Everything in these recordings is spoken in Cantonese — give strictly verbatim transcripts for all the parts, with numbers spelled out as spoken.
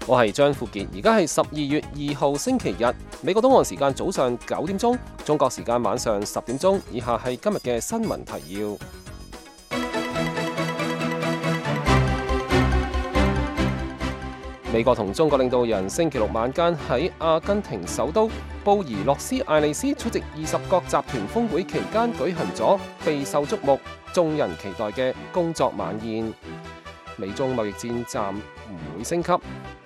我係張富傑，而家係十二月二號星期日，美國東岸時間早上九點鐘，中國時間晚上十點鐘。以下係今日嘅新聞提要。美國同中國領導人星期六晚間喺阿根廷首都布宜諾斯艾利斯出席二十國集團峰會期間舉行咗備受矚目、眾人期待嘅工作晚宴。美中貿易戰暫唔會升級，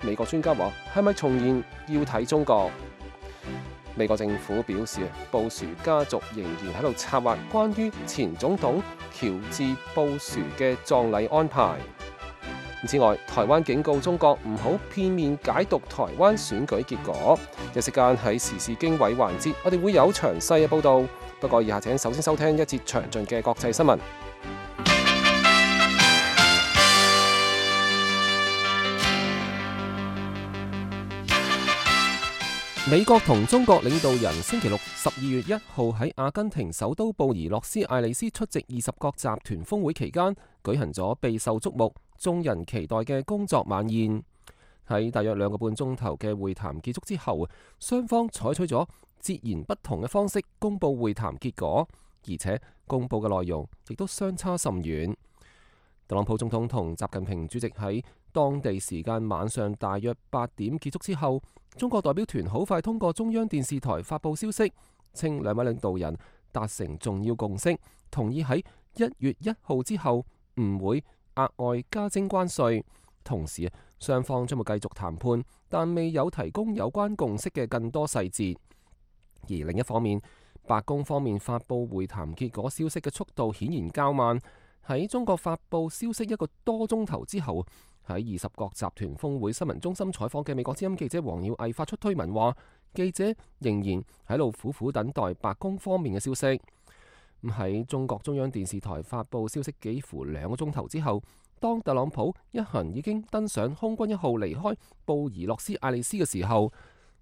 美國專家話係咪重現要睇中國？美國政府表示，布殊家族仍然喺度策劃關於前總統喬治布殊嘅葬禮安排。此外，台灣警告中國唔好片面解讀台灣選舉結果。一時間喺時事經緯環節，我哋會有詳細嘅報導。不過以下請首先收聽一節詳盡嘅國際新聞。美國同中國領導人星期六十二月一號喺阿根廷首都布宜諾斯艾利斯出席二十國集團峰會期間舉行咗備受矚目、眾人期待嘅工作晚宴。喺大約兩個半鐘頭嘅會談結束之後，雙方採取咗截然不同嘅方式公佈會談結果，而且公佈嘅內容亦都相差甚遠。特朗普總統同習近平主席喺當地時間晚上大約八點結束之後，中國代表團好快通過中央電視台發佈消息，稱兩位領導人達成重要共識，同意喺一月一號之後唔會額外加徵關稅。同時，雙方將會繼續談判，但未有提供有關共識嘅更多細節。而另一方面，白宮方面發佈會談結果消息嘅速度顯然較慢。喺中國發佈消息一個多鐘頭之後，喺二十國集團峰會新聞中心採訪嘅美國之音記者黃耀毅發出推文話，記者仍然喺度苦苦等待白宮方面嘅消息。咁喺中國中央電視台發佈消息幾乎兩個鐘頭之後，當特朗普一行已經登上空軍一號離開布宜諾斯艾利斯嘅時候，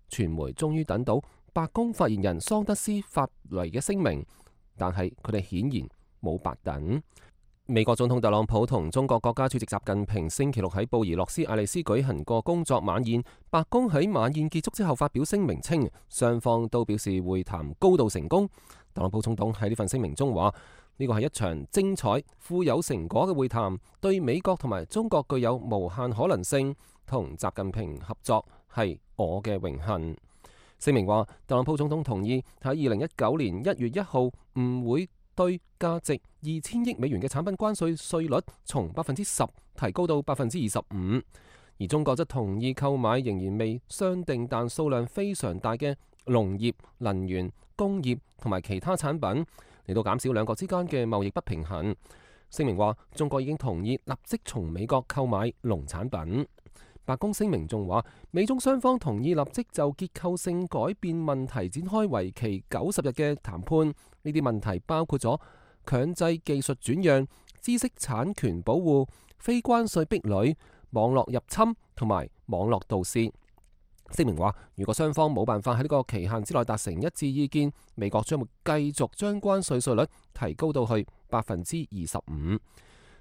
傳媒終於等到白宮發言人桑德斯發嚟嘅聲明，但係佢哋顯然冇白等。美國總統特朗普同中國國家主席習近平星期六喺布宜諾斯艾利斯舉行過工作晚宴。白宮喺晚宴結束之後發表聲明稱，雙方都表示會談高度成功。特朗普總統喺呢份聲明中話，呢個係一場精彩、富有成果嘅會談，對美國同埋中國具有無限可能性。同習近平合作係我嘅榮幸。聲明話，特朗普總統同意喺二零一九年一月一號唔會對價值二千億美元嘅產品關稅稅率從百分之十提高到百分之二十五，而中國則同意購買仍然未商定但數量非常大嘅農業、能源、工業同埋其他產品，嚟到減少兩國之間嘅貿易不平衡。聲明話，中國已經同意立即從美國購買農產品。白宮聲明仲話，美中雙方同意立即就結構性改變問題展開為期九十日嘅談判。呢啲問題包括咗強制技術轉讓、知識產權保護、非關稅壁壘、網絡入侵同埋網絡盜竊。聲明話，如果雙方冇辦法喺呢個期限之內達成一致意見，美國將會繼續將關稅稅率提高到去百分之二十五。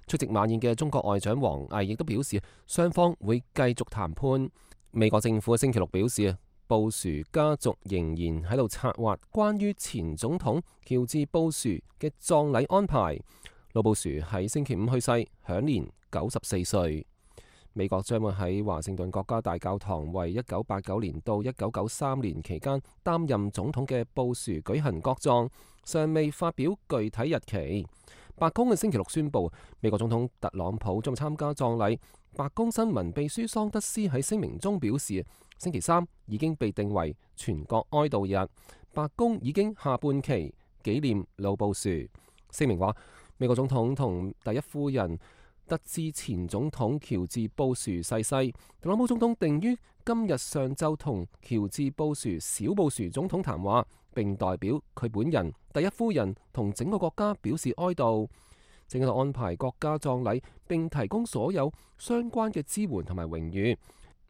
出席晚宴嘅中國外長王毅亦都表示，雙方會繼續談判。美國政府星期六表示，布殊家族仍然喺度策劃關於前總統喬治布殊嘅葬禮安排。老布殊喺星期五去世，享年九十四歲。美國將會喺華盛頓國家大教堂為一九八九年到一九九三年期間擔任總統嘅布殊舉行國葬，尚未發表具體日期。白宮嘅星期六宣布，美國總統特朗普將參加葬禮。白宮新聞秘書桑德斯喺聲明中表示，星期三已經被定為全國哀悼日，白宮已經下半旗紀念老布殊。聲明話，美國總統同第一夫人得知前總統喬治布殊逝世，特朗普總統定於今日上晝同喬治布殊小布殊總統談話，並代表佢本人、第一夫人同整個國家表示哀悼，正喺安排國家葬禮，並提供所有相關嘅支援同埋榮譽。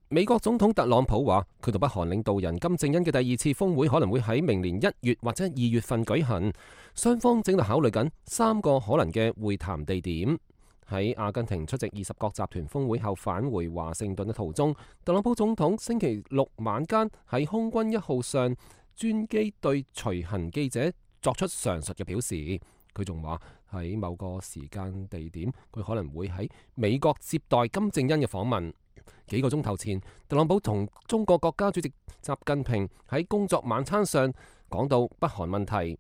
美國總統特朗普話，佢同北韓領導人金正恩嘅第二次峰會可能會喺明年一月或者二月份舉行，雙方正在考慮緊三個可能嘅會談地點。喺阿根廷出席二十國集團峰會後返回華盛頓嘅途中，特朗普總統星期六晚間喺空軍一號上專機對隨行記者作出上述嘅表示。佢仲話喺某個時間地點，佢可能會喺美國接待金正恩嘅訪問。幾個鐘頭前，特朗普同中國國家主席習近平喺工作晚餐上講到北韓問題。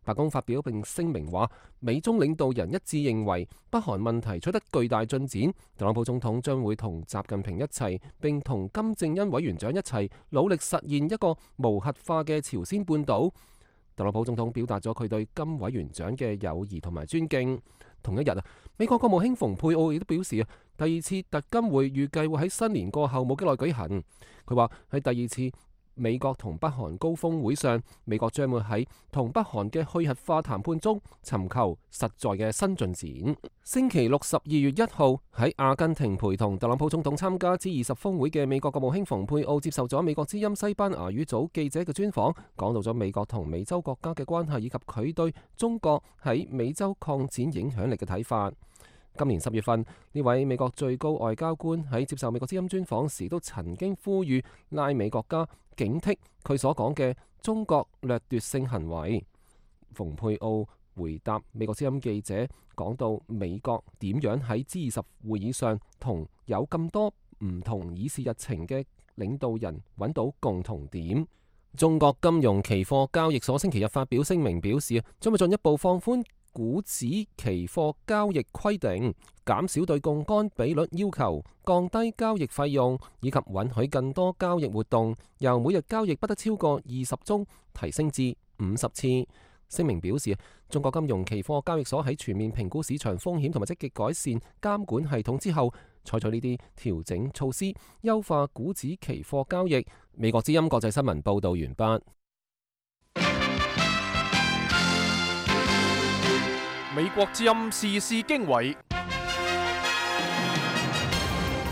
白宮發表並聲明話，美中領導人一致認為北韓問題取得巨大進展，特朗普總統將會同習近平一齊，並同金正恩委員長一齊努力實現一個無核化嘅朝鮮半島。特朗普總統表達咗佢對金委員長嘅友誼同埋尊敬。同一日啊，美國國務卿蓬佩奧亦都表示啊，第二次特金會預計會喺新年過後冇幾耐舉行。佢話喺第二次美國同北韓高峰會上，美國將會喺同北韓嘅去核化談判中尋求實在嘅新進展。星期六十二月一號喺阿根廷陪同特朗普總統參加 G 二十峰會嘅美國國務卿蓬佩奧接受咗美國之音西班牙語組記者嘅專訪，講到咗美國同美洲國家嘅關係以及佢對中國喺美洲擴展影響力嘅睇法。今年十月份，呢位美國最高外交官喺接受美國之音專訪時，都曾經呼籲拉美國家警惕佢所講嘅中國掠奪性行為。蓬佩奧回答美國之音記者，講到美國點樣喺 G 二十會議上同有咁多唔同議事日程嘅領導人揾到共同點。中國金融期貨交易所星期日發表聲明表示，將會進一步放寬股指期貨交易規定，減少對槓桿比率要求，降低交易費用，以及允許更多交易活動由每日交易不得超過二十宗提升至五十次。聲明表示，中國金融期貨交易所喺全面評估市場風險同埋積極改善監管系統之後，採取呢啲調整措施，優化股指期貨交易。美國之音國際新聞報道完畢。美國之音時事經緯，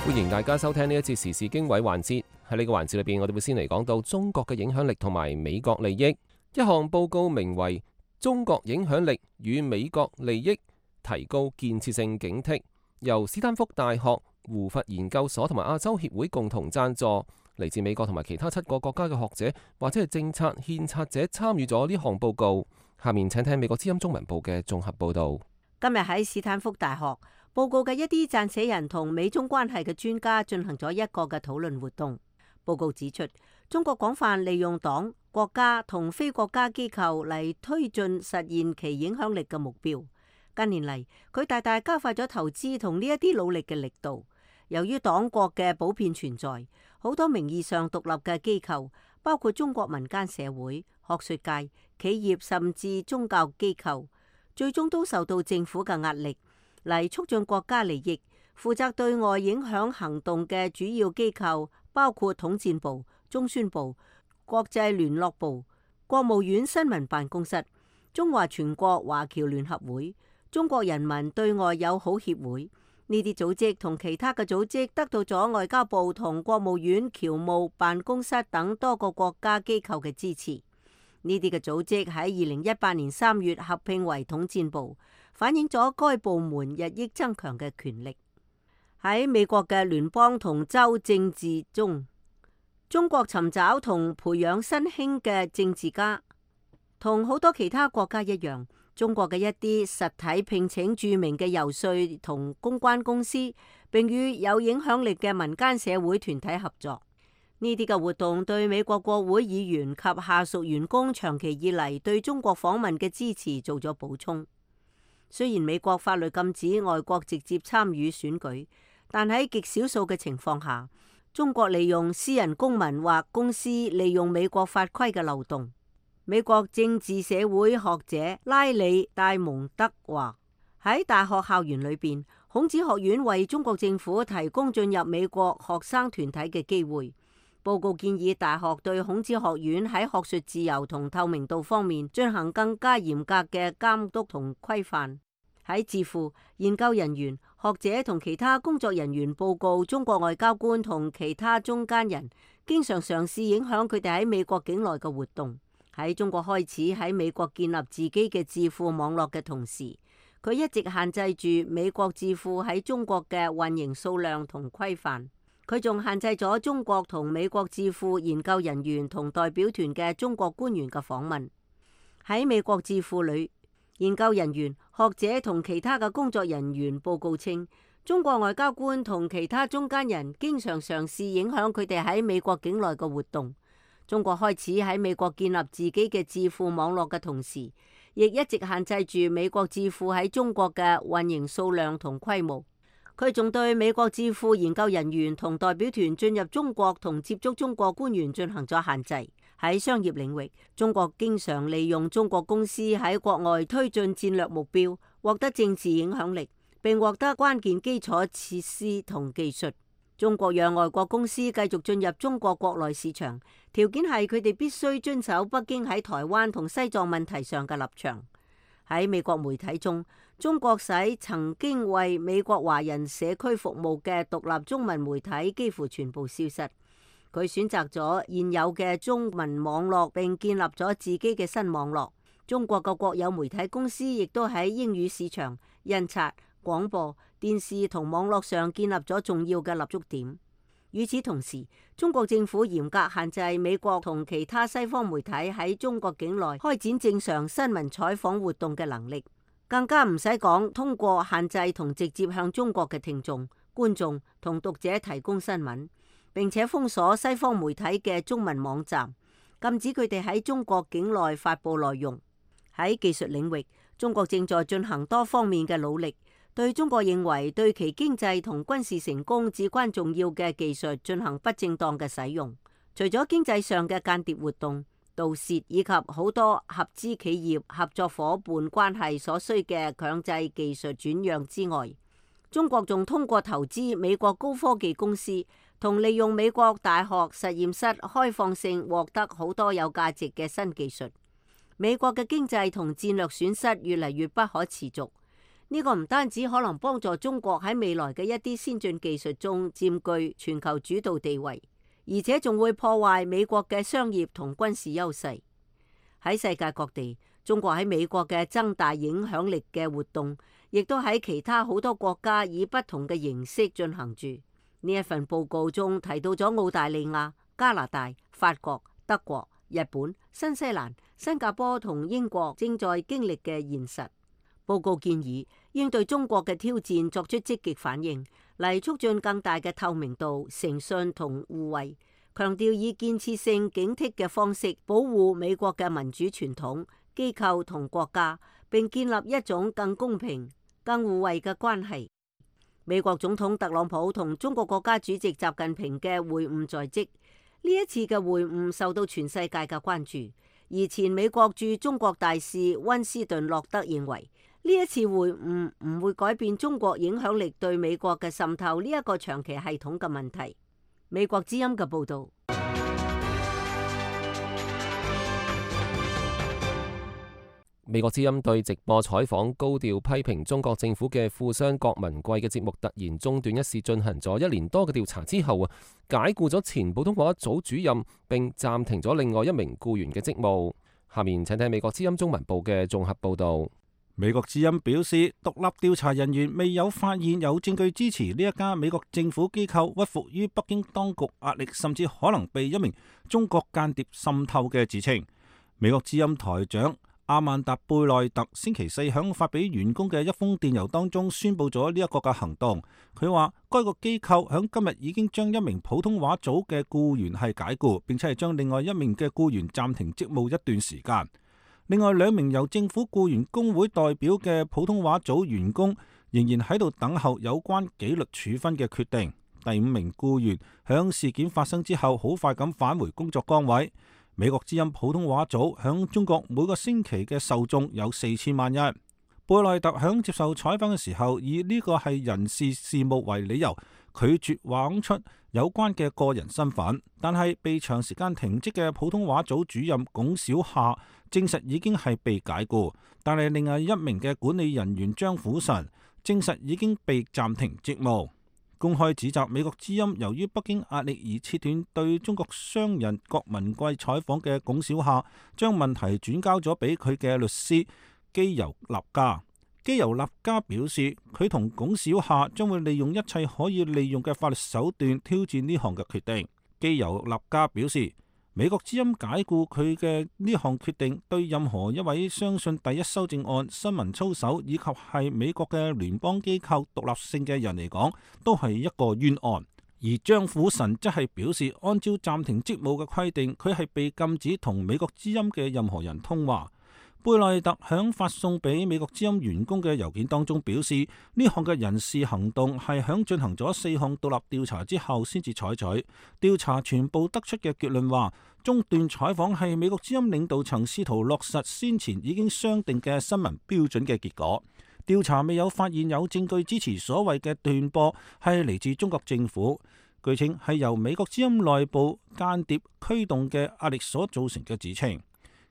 歡迎大家收聽呢一節時事經緯環節。喺呢個環節裏邊，我哋會先嚟講到中國嘅影響力同埋美國利益。一項報告名為《中國影響力與美國利益：提高建設性警惕》，由斯坦福大學、胡佛研究所同埋亞洲協會共同贊助，嚟自美國同埋其他七個國家嘅學者或者係政策獻策者參與咗呢項報告。下面請聽美國之音中文部嘅綜合報道。今日喺斯坦福大學，報告嘅一啲撰寫人同美中關係嘅專家進行咗一個嘅討論活動。報告指出，中國廣泛利用黨、國家同非國家機構嚟推進實現其影響力嘅目標。近年嚟，佢大大加快咗投資同呢一啲努力嘅力度。由於黨國嘅普遍存在，好多名義上獨立嘅機構，包括中國民間社會、學術界、企業甚至宗教機構，最終都受到政府嘅壓力嚟促進國家利益。負責對外影響行動嘅主要機構包括統戰部、中宣部、國際聯絡部、國務院新聞辦公室、中華全國華僑聯合會、中國人民對外友好協會。呢啲組織同其他嘅組織得到咗外交部同國務院僑務辦公室等多個國家機構嘅支持。呢啲嘅組織喺二零一八年三月合併為統戰部，反映咗該部門日益增強嘅權力。喺美國嘅聯邦同州政治中，中國尋找同培養新興嘅政治家，同好多其他國家一樣。中國嘅一啲實體聘請著名嘅遊說同公關公司，並與有影響力嘅民間社會團體合作。呢啲嘅活動對美國國會議員及下屬員工長期以嚟對中國訪問嘅支持做咗補充。雖然美國法律禁止外國直接參與選舉，但喺極少數嘅情況下，中國利用私人公民或公司利用美國法規嘅漏洞。美國政治社會學者拉里戴蒙德話：喺大學校園裏邊，孔子學院為中國政府提供進入美國學生團體嘅機會。報告建議大學對孔子學院喺學術自由同透明度方面進行更加嚴格嘅監督同規範。喺智庫，研究人員、學者同其他工作人員報告，中國外交官同其他中間人經常嘗試影響佢哋喺美國境內嘅活動。喺中國開始喺美國建立自己嘅智庫網絡嘅同時，佢一直限制住美國智庫喺中國嘅運營數量同規範。佢仲限制咗中國同美國智庫研究人員同代表團嘅中國官員嘅訪問。喺美國智庫裏，研究人員、學者同其他嘅工作人員報告稱，中國外交官同其他中間人經常嘗試影響佢哋喺美國境內嘅活動。中國開始喺美國建立自己嘅智庫網絡嘅同時，亦一直限制住美國智庫喺中國嘅運營數量同規模。佢仲對美國智庫研究人員同代表團進入中國同接觸中國官員進行咗限制。喺商業領域，中國經常利用中國公司喺國外推進戰略目標，獲得政治影響力，並獲得關鍵基礎設施同技術。中國讓外國公司繼續進入中國國內市場，條件係佢哋必須遵守北京喺台灣同西藏問題上嘅立場。喺美國媒體中，中國使曾經為美國華人社區服務嘅獨立中文媒體幾乎全部消失。佢選擇咗現有嘅中文網絡，並建立咗自己嘅新網絡。中國嘅國有媒體公司亦都喺英語市場、印刷、廣播、電視同網絡上建立咗重要嘅立足點。與此同時，中國政府嚴格限制美國同其他西方媒體喺中國境內開展正常新聞採訪活動嘅能力，更加唔使講通過限制同直接向中國嘅聽眾、觀眾同讀者提供新聞，並且封鎖西方媒體嘅中文網站，禁止佢哋喺中國境內發布內容。喺技術領域，中國正在進行多方面嘅努力，對中國認為對其經濟同軍事成功至關重要嘅技術進行不正當嘅使用。除咗經濟上嘅間諜活動、盜竊以及好多合資企業合作夥伴關係所需嘅強制技術轉讓之外，中國仲通過投資美國高科技公司同利用美國大學實驗室開放性獲得好多有價值嘅新技術。美國嘅經濟同戰略損失越嚟越不可持續。呢個唔單止可能幫助中國喺未來嘅一啲先進技術中佔據全球主導地位，而且仲會破壞美國嘅商業同軍事優勢。喺世界各地，中國喺美國嘅增大影響力嘅活動，亦都喺其他好多國家以不同嘅形式進行住。呢一份報告中提到咗澳大利亞、加拿大、法國、德國、日本、新西蘭、新加坡同英國正在經歷嘅現實。報告建議應對中國嘅挑戰作出積極反應，嚟促進更大嘅透明度、誠信同互惠，強調以建設性警惕嘅方式保護美國嘅民主傳統、機構同國家，並建立一種更公平、更互惠嘅關係。美國總統特朗普同中國國家主席習近平嘅會晤在即，呢一次嘅會晤受到全世界嘅關注。而前美國駐中國大使溫斯頓洛德認為，呢一次會晤唔會改變中國影響力對美國嘅滲透呢一個長期系統嘅問題。美國之音嘅報導。美國之音對直播採訪高調批評中國政府嘅富商郭文貴嘅節目突然中斷一事進行咗一年多嘅調查之後啊，解僱咗前普通話組主任，並暫停咗另外一名僱員嘅職務。下面請睇美國之音中文部嘅綜合報導。美國之音表示，獨立調查人員未有發現有證據支持呢一家美國政府機構屈服於北京當局壓力，甚至可能被一名中國間諜滲透嘅指稱。美國之音台長阿曼達貝內特星期四響發俾員工嘅一封電郵當中宣布咗呢一個嘅行動。佢話該個機構響今日已經將一名普通話組嘅僱員係解僱，並且係將另外一名嘅僱員暫停職務一段時間。另外兩名由政府僱員工會代表嘅普通話組員工仍然喺度等候有關紀律處分嘅決定。第五名僱員響事件發生之後好快咁返回工作崗位。美國之音普通話組響中國每個星期嘅受眾有四千萬人。貝內特響接受採訪嘅時候，以呢個係人事事務為理由，拒絕講出有關嘅個人身份。但係被長時間停職嘅普通話組主任龔小夏證實已經係被解僱，但係另外一名嘅管理人員張虎臣證實已經被暫停職務。公開指責美國之音由於北京壓力而切斷對中國商人郭文貴採訪嘅龔小夏，將問題轉交咗俾佢嘅律師基尤立家。基尤納加表示，佢同龔小夏將會利用一切可以利用嘅法律手段挑戰呢項嘅決定。基尤納加表示，美國之音解僱佢嘅呢項決定，對任何一位相信第一修正案新聞操守以及係美國嘅聯邦機構獨立性嘅人嚟講，都係一個冤案。而張虎臣則係表示，按照暫停職務嘅規定，佢係被禁止同美國之音嘅任何人通話。貝內特響發送俾美國之音員工嘅郵件當中表示，呢項嘅人事行動係響進行咗四項獨立調查之後先至採取。調查全部得出嘅結論話，中斷採訪係美國之音領導層試圖落實先前已經商定嘅新聞標準嘅結果。調查未有發現有證據支持所謂嘅斷播係嚟自中國政府，據稱係由美國之音內部間諜驅動嘅壓力所造成嘅指稱。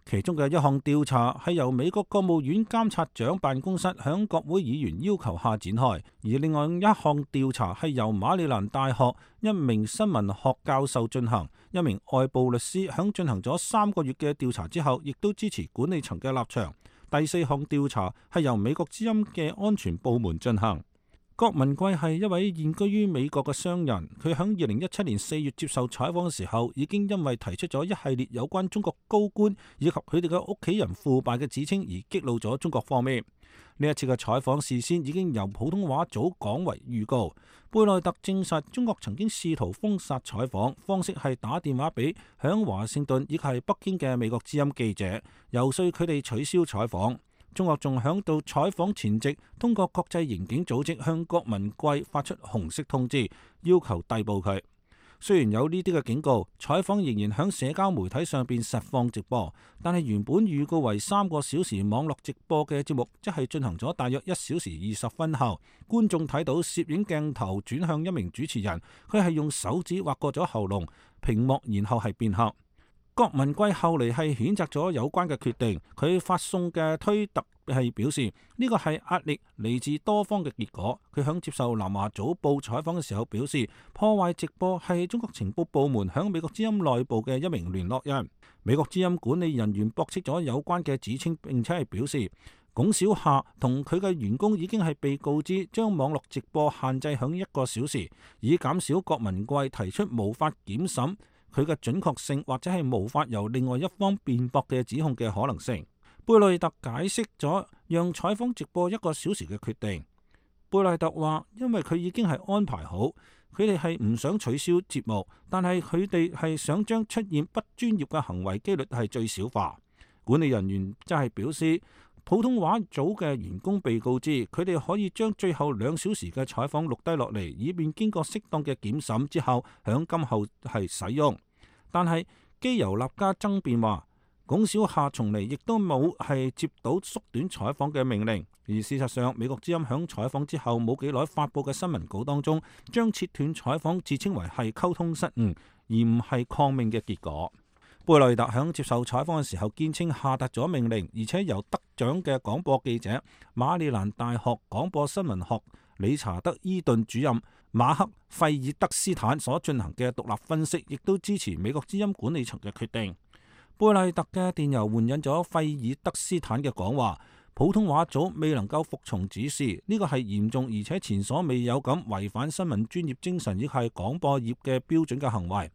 其中嘅一項調查係由美國國務院監察長辦公室響國會議員要求下展開，而另外一項調查係由馬里蘭大學一名新聞學教授進行。一名外部律師響進行咗三個月嘅調查之後，亦都支持管理層嘅立場。第四項調查係由美國之音嘅安全部門進行。郭文貴係一位現居於美國嘅商人，佢響二零一七年四月接受採訪嘅時候，已經因為提出咗一系列有關中國高官以及佢哋嘅屋企人腐敗嘅指稱而激怒咗中國方面。呢一次嘅採訪事先已經由普通話組講為預告。貝內特證實中國曾經試圖封殺採訪，方式係打電話俾響華盛頓以及係北京嘅美國之音記者，遊說佢哋取消採訪。中國仲響到採訪前夕，通過國際刑警組織向郭文貴發出紅色通知，要求逮捕佢。雖然有呢啲嘅警告，採訪仍然響社交媒體上邊實況直播，但係原本預告為三個小時網絡直播嘅節目，即係進行咗大約一小時二十分後，觀眾睇到攝影鏡頭轉向一名主持人，佢係用手指劃過咗喉嚨，屏幕然後係變黑。郭文貴後嚟係譴責咗有關嘅決定，佢發送嘅推特係表示呢個係壓力嚟自多方嘅結果。佢響接受南華早報採訪嘅時候表示，破壞直播係中國情報部門響美國之音內部嘅一名聯絡人。美國之音管理人員駁斥咗有關嘅指稱，並且係表示龔小夏同佢嘅員工已經係被告知將網絡直播限制響一個小時，以減少郭文貴提出無法檢審佢嘅準確性或者係無法由另外一方辯駁嘅指控嘅可能性。貝內特解釋咗讓採訪直播一個小時嘅決定。貝內特話，因為佢已經係安排好，佢哋係唔想取消節目，但係佢哋係想將出現不專業嘅行為機率係最小化。管理人員即係表示，普通話組嘅員工被告知，佢哋可以將最後兩小時嘅採訪錄低落嚟，以便經過適當嘅檢審之後，響今後係使用。但係基尤納加爭辯話，龔小夏從嚟亦都冇係接到縮短採訪嘅命令，而事實上，美國之音響採訪之後冇幾耐發佈嘅新聞稿當中，將切斷採訪自稱為係溝通失誤，而唔係抗命嘅結果。貝內特響接受採訪嘅時候堅稱下達咗命令，而且由得獎嘅廣播記者馬里蘭大學廣播新聞學理查德伊頓主任馬克費爾德斯坦所進行嘅獨立分析，亦都支持美國之音管理層嘅決定。貝內特嘅電郵援引咗費爾德斯坦嘅講話，普通話組未能夠服從指示，呢個係嚴重而且前所未有咁違反新聞專業精神，亦係廣播業嘅標準嘅行為。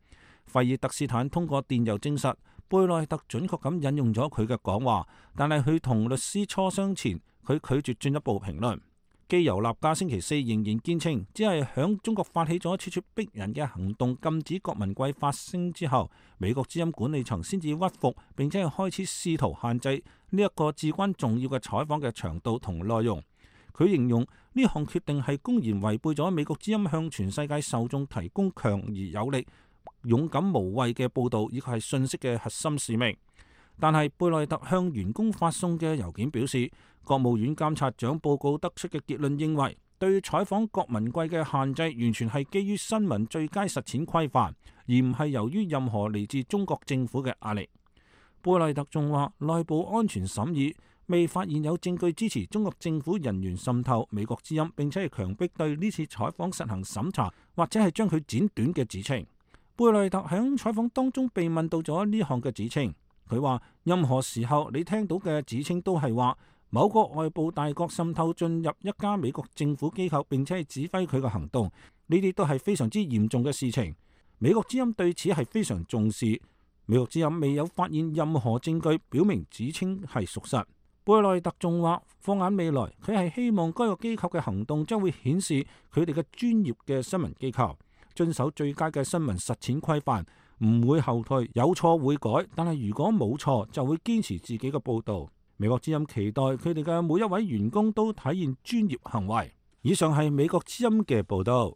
費爾德斯坦通過電郵證實，貝內特準確咁引用咗佢嘅講話，但係佢同律師磋商前，佢拒絕進一步評論。基尤納加星期四仍然堅稱，只係響中國發起咗咄咄逼人嘅行動，禁止郭文貴發聲之後，美國之音管理層先至屈服，並且係開始試圖限制呢一個至關重要嘅採訪嘅長度同內容。佢形容呢項決定係公然違背咗美國之音向全世界受眾提供強而有力、勇敢無畏嘅報導，以及係信息嘅核心使命。但係貝內特向員工發送嘅郵件表示，國務院監察長報告得出嘅結論認為，對採訪郭文貴嘅限制完全係基於新聞最佳實踐規範，而唔係由於任何嚟自中國政府嘅壓力。貝內特仲話，內部安全審議未發現有證據支持中國政府人員滲透美國之音，並且係強迫對呢次採訪實行審查，或者係將佢剪短嘅指稱。貝內特喺採訪當中被問到咗呢項嘅指稱。佢話：任何時候你聽到嘅指稱都係話某個外部大國滲透進入一家美國政府機構，並且係指揮佢嘅行動，呢啲都係非常之嚴重嘅事情。美國之音對此係非常重視。美國之音未有發現任何證據表明指稱係屬實。貝內特仲話，放眼未來，佢係希望該個機構嘅行動將會顯示佢哋嘅專業嘅新聞機構遵守最佳嘅新聞實踐規範，唔會後退，有錯會改，但係如果冇錯就會堅持自己嘅報導。美國之音期待佢哋嘅每一位員工都體現專業行為。以上係美國之音嘅報導。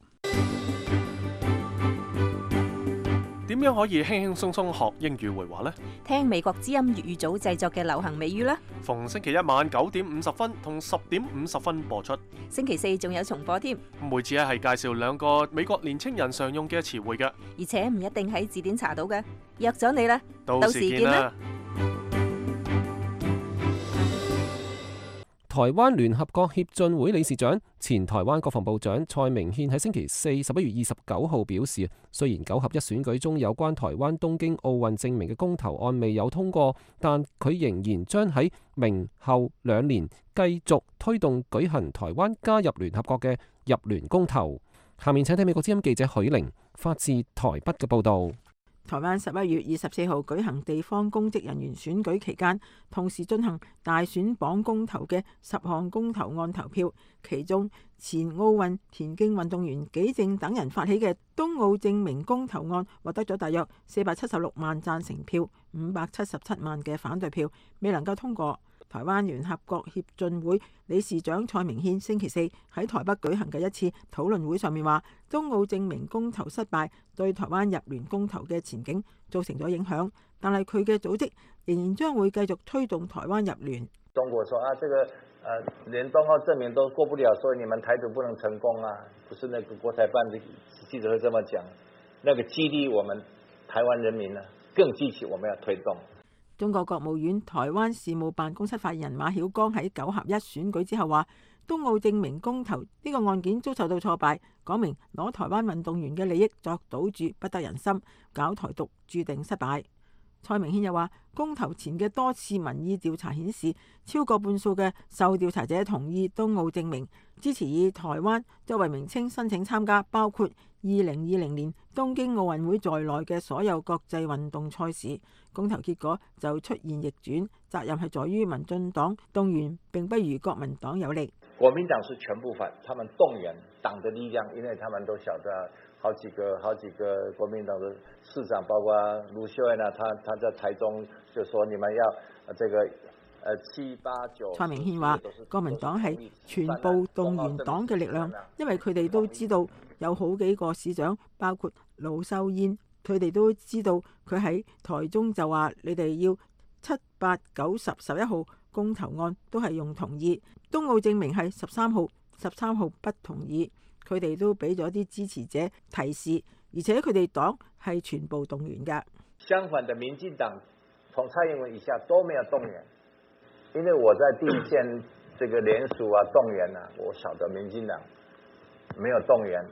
點樣可以輕輕鬆鬆學英語會話呢？聽美國之音粵語組製作嘅流行美語啦。逢星期一晚九點五十分同十點五十分播出。星期四仲有重播添。每次咧係介紹兩個美國年青人常用嘅詞彙嘅，而且唔一定喺字典查到嘅。約咗你啦，到時見啦。台灣聯合國協進會理事長、前台灣國防部長蔡明憲喺星期四十一月二十九號表示，雖然九合一選舉中有關台灣東京奧運證明嘅公投案未有通過，但佢仍然將喺明後兩年繼續推動舉行台灣加入聯合國嘅入聯公投。下面請聽美國之音記者許玲發自台北嘅報導。台灣十一月二十四號舉行地方公職人員選舉期間，同時進行大選綁公投嘅十項公投案投票，其中前奧運田徑運動員紀政等人發起嘅東奧證明公投案獲得咗大約四百七十六萬贊成票、五百七十七萬嘅反對票，未能夠通過。台灣聯合國協進會理事長蔡明憲星期四喺台北舉行嘅一次討論會上面話，東奧證明公投失敗對台灣入聯公投嘅前景造成咗影響，但係佢嘅組織仍然將會繼續推動台灣入聯。中國說啊，這個呃連東奧證明都過不了，所以你們台獨不能成功啊！不是那個國台辦的記者會這麼講，那個激勵我們台灣人民呢，更積極我們要推動。中國國務院台灣事務辦公室發言人馬曉光喺九合一選舉之後話，東奧證明公投呢個案件遭受到挫敗，講明攞台灣運動員嘅利益作賭注不得人心，搞台獨注定失敗。蔡明憲又話，公投前嘅多次民意調查顯示，超過半數嘅受調查者同意東奧證明，支持以台灣作為名稱申請參加包括二零二零年東京奧運會在內嘅所有國際運動賽事。公投結果就出現逆轉，責任係在於民進黨動員並不如國民黨有力。國民黨是全部反，他們動員黨的力量，因為他們都曉得好幾個好幾個國民黨的市長，包括盧秀燕啊，他他在台中就說你們要這個呃七八九。蔡明憲話，國民黨係全部動員黨嘅力量，因為佢哋都知道有好幾個市長，包括盧秀燕，佢哋都知道佢喺台中就話你哋要七八九十十一號公投案都係用同意，東奧證明係十三號，十三號不同意，佢哋都俾咗啲支持者提示，而且佢哋黨係全部動員㗎。相反的，民進黨從蔡英文以下都沒有動員，因為我在第一線這個聯署啊動員啊，我曉得民進黨沒有動員。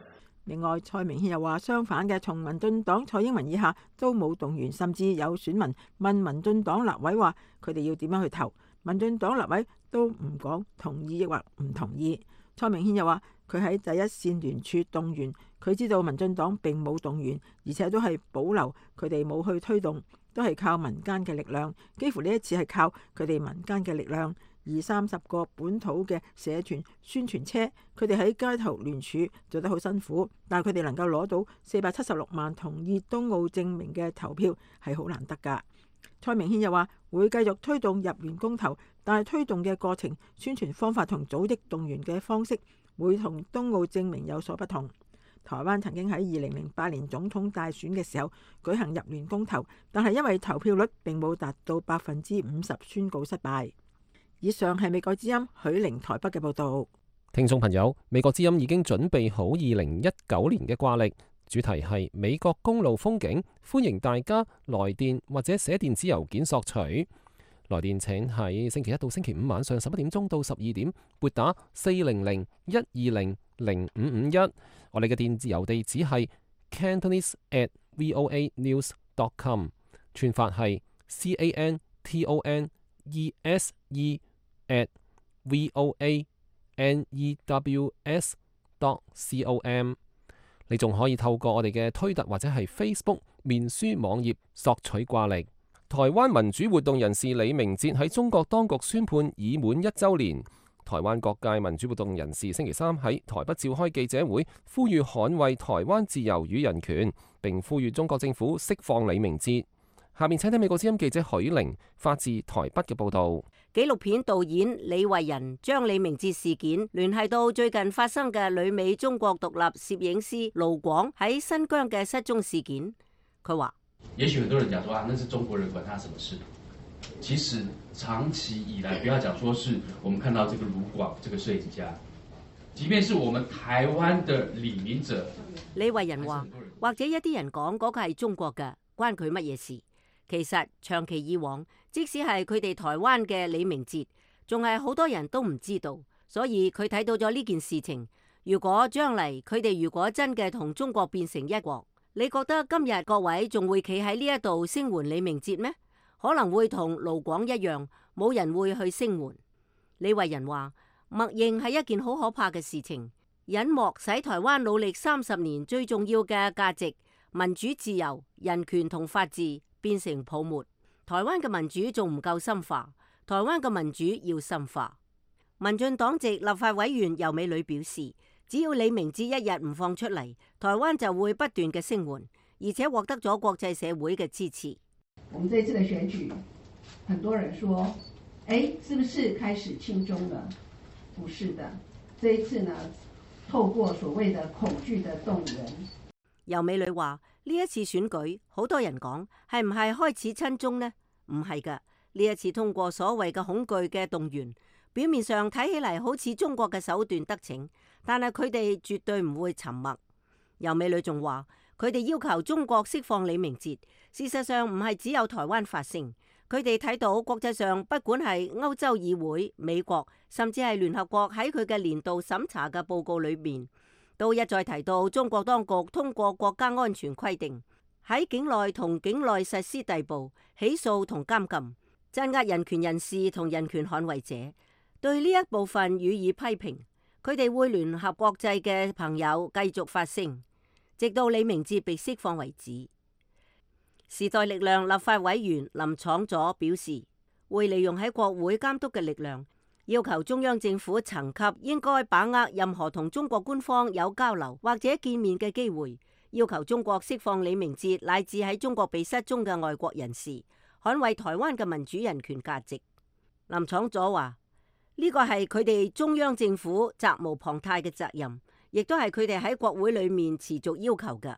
另外，蔡明憲又話相反嘅，從民進黨蔡英文以下都冇動員，甚至有選民問民進黨立委話佢哋要點樣去投，民進黨立委都唔講同意抑或唔同意。蔡明憲又話佢喺第一線聯署動員，佢知道民進黨並冇動員，而且都係保留佢哋冇去推動，都係靠民間嘅力量，幾乎呢一次係靠佢哋民間嘅力量。二三十個本土嘅社團宣傳車，佢哋喺街頭聯署做得好辛苦，但係佢哋能夠攞到四百七十六萬同意東奧證明嘅投票係好難得㗎。蔡明憲又話會繼續推動入聯公投，但係推動嘅過程、宣傳方法同組織動員嘅方式會同東奧證明有所不同。台灣曾經喺二零零八年總統大選嘅時候舉行入聯公投，但係因為投票率並冇達到百分之五十，宣告失敗。以上係美國之音許玲台北嘅報道。聽眾朋友，美國之音已經準備好二零一九年嘅掛曆，主題係美國公路風景，歡迎大家來電或者寫電子郵件索取。來電請喺星期一到星期五晚上十一點鐘到十二點撥打四零零一二零零五五一。我哋嘅電子郵地址係 cantonese at voa news dot com， 串法係 c a n t o n e s e at v o a n e w s dot com。你仲可以透過我哋嘅推特或者係 Facebook 面書網頁索取掛歷。台灣民主活動人士李明哲喺中國當局宣判已滿一週年。台灣各界民主活動人士星期三喺台北召開記者會，呼籲捍衛台灣自由與人權，並呼籲中國政府釋放李明哲。下面請聽美國之音記者許玲發自台北嘅報導。紀錄片導演李惠仁將李明哲事件聯繫到最近發生嘅旅美中國獨立攝影師盧廣喺新疆嘅失蹤事件。佢話：也許很多人講說啊，那是中國人，管他什麼事。其實長期以來，不要講說是我們看到這個盧廣這個攝影家，即便是我們台灣的李明哲。李惠仁話：或者一啲人講嗰個係中國嘅，關佢乜嘢事？其實長期以往，即使係佢哋台灣嘅李明哲，仲係好多人都唔知道。所以佢睇到咗呢件事情。如果將嚟佢哋如果真嘅同中國變成一國，你覺得今日各位仲會企喺呢一度聲援李明哲咩？可能會同盧廣一樣，冇人會去聲援。李惠仁話：默認係一件好可怕嘅事情，隱沒使台灣努力三十年最重要嘅價值——民主、自由、人權同法治變成泡沫。台灣嘅民主仲唔夠深化，台灣嘅民主要深化。民進黨籍立法委員游美女表示，只要李明哲一日唔放出嚟，台灣就會不斷嘅聲援，而且獲得咗國際社會嘅支持。我們這次的選舉，很多人說，誒，是不是開始親中了？不是的，這一次呢，透過所謂的恐懼的動員。游美女話：呢一次選舉，好多人講係唔係開始親中呢？唔係㗎，呢一次通過所謂嘅恐懼嘅動員，表面上睇起嚟好似中國嘅手段得逞，但係佢哋絕對唔會沉默。游美女仲話：佢哋要求中國釋放李明哲，事實上唔係只有台灣發聲，佢哋睇到國際上不管係歐洲議會、美國，甚至係聯合國喺佢嘅年度審查嘅報告裏面，都一再提到中國當局通過國家安全規定，喺境內同境內實施逮捕、起訴同監禁，鎮壓人權人士同人權捍衛者。對呢一部分予以批評，佢哋會聯合國際嘅朋友繼續發聲，直到李明哲被釋放為止。時代力量立法委員林昶佐表示，會利用喺國會監督嘅力量，要求中央政府層級應該把握任何同中國官方有交流或者見面嘅機會，要求中國釋放李明哲乃至喺中國被失蹤嘅外國人士，捍衛台灣嘅民主人權價值。林昶佐話：呢個係佢哋中央政府責無旁貸嘅責任，亦都係佢哋喺國會裏面持續要求嘅。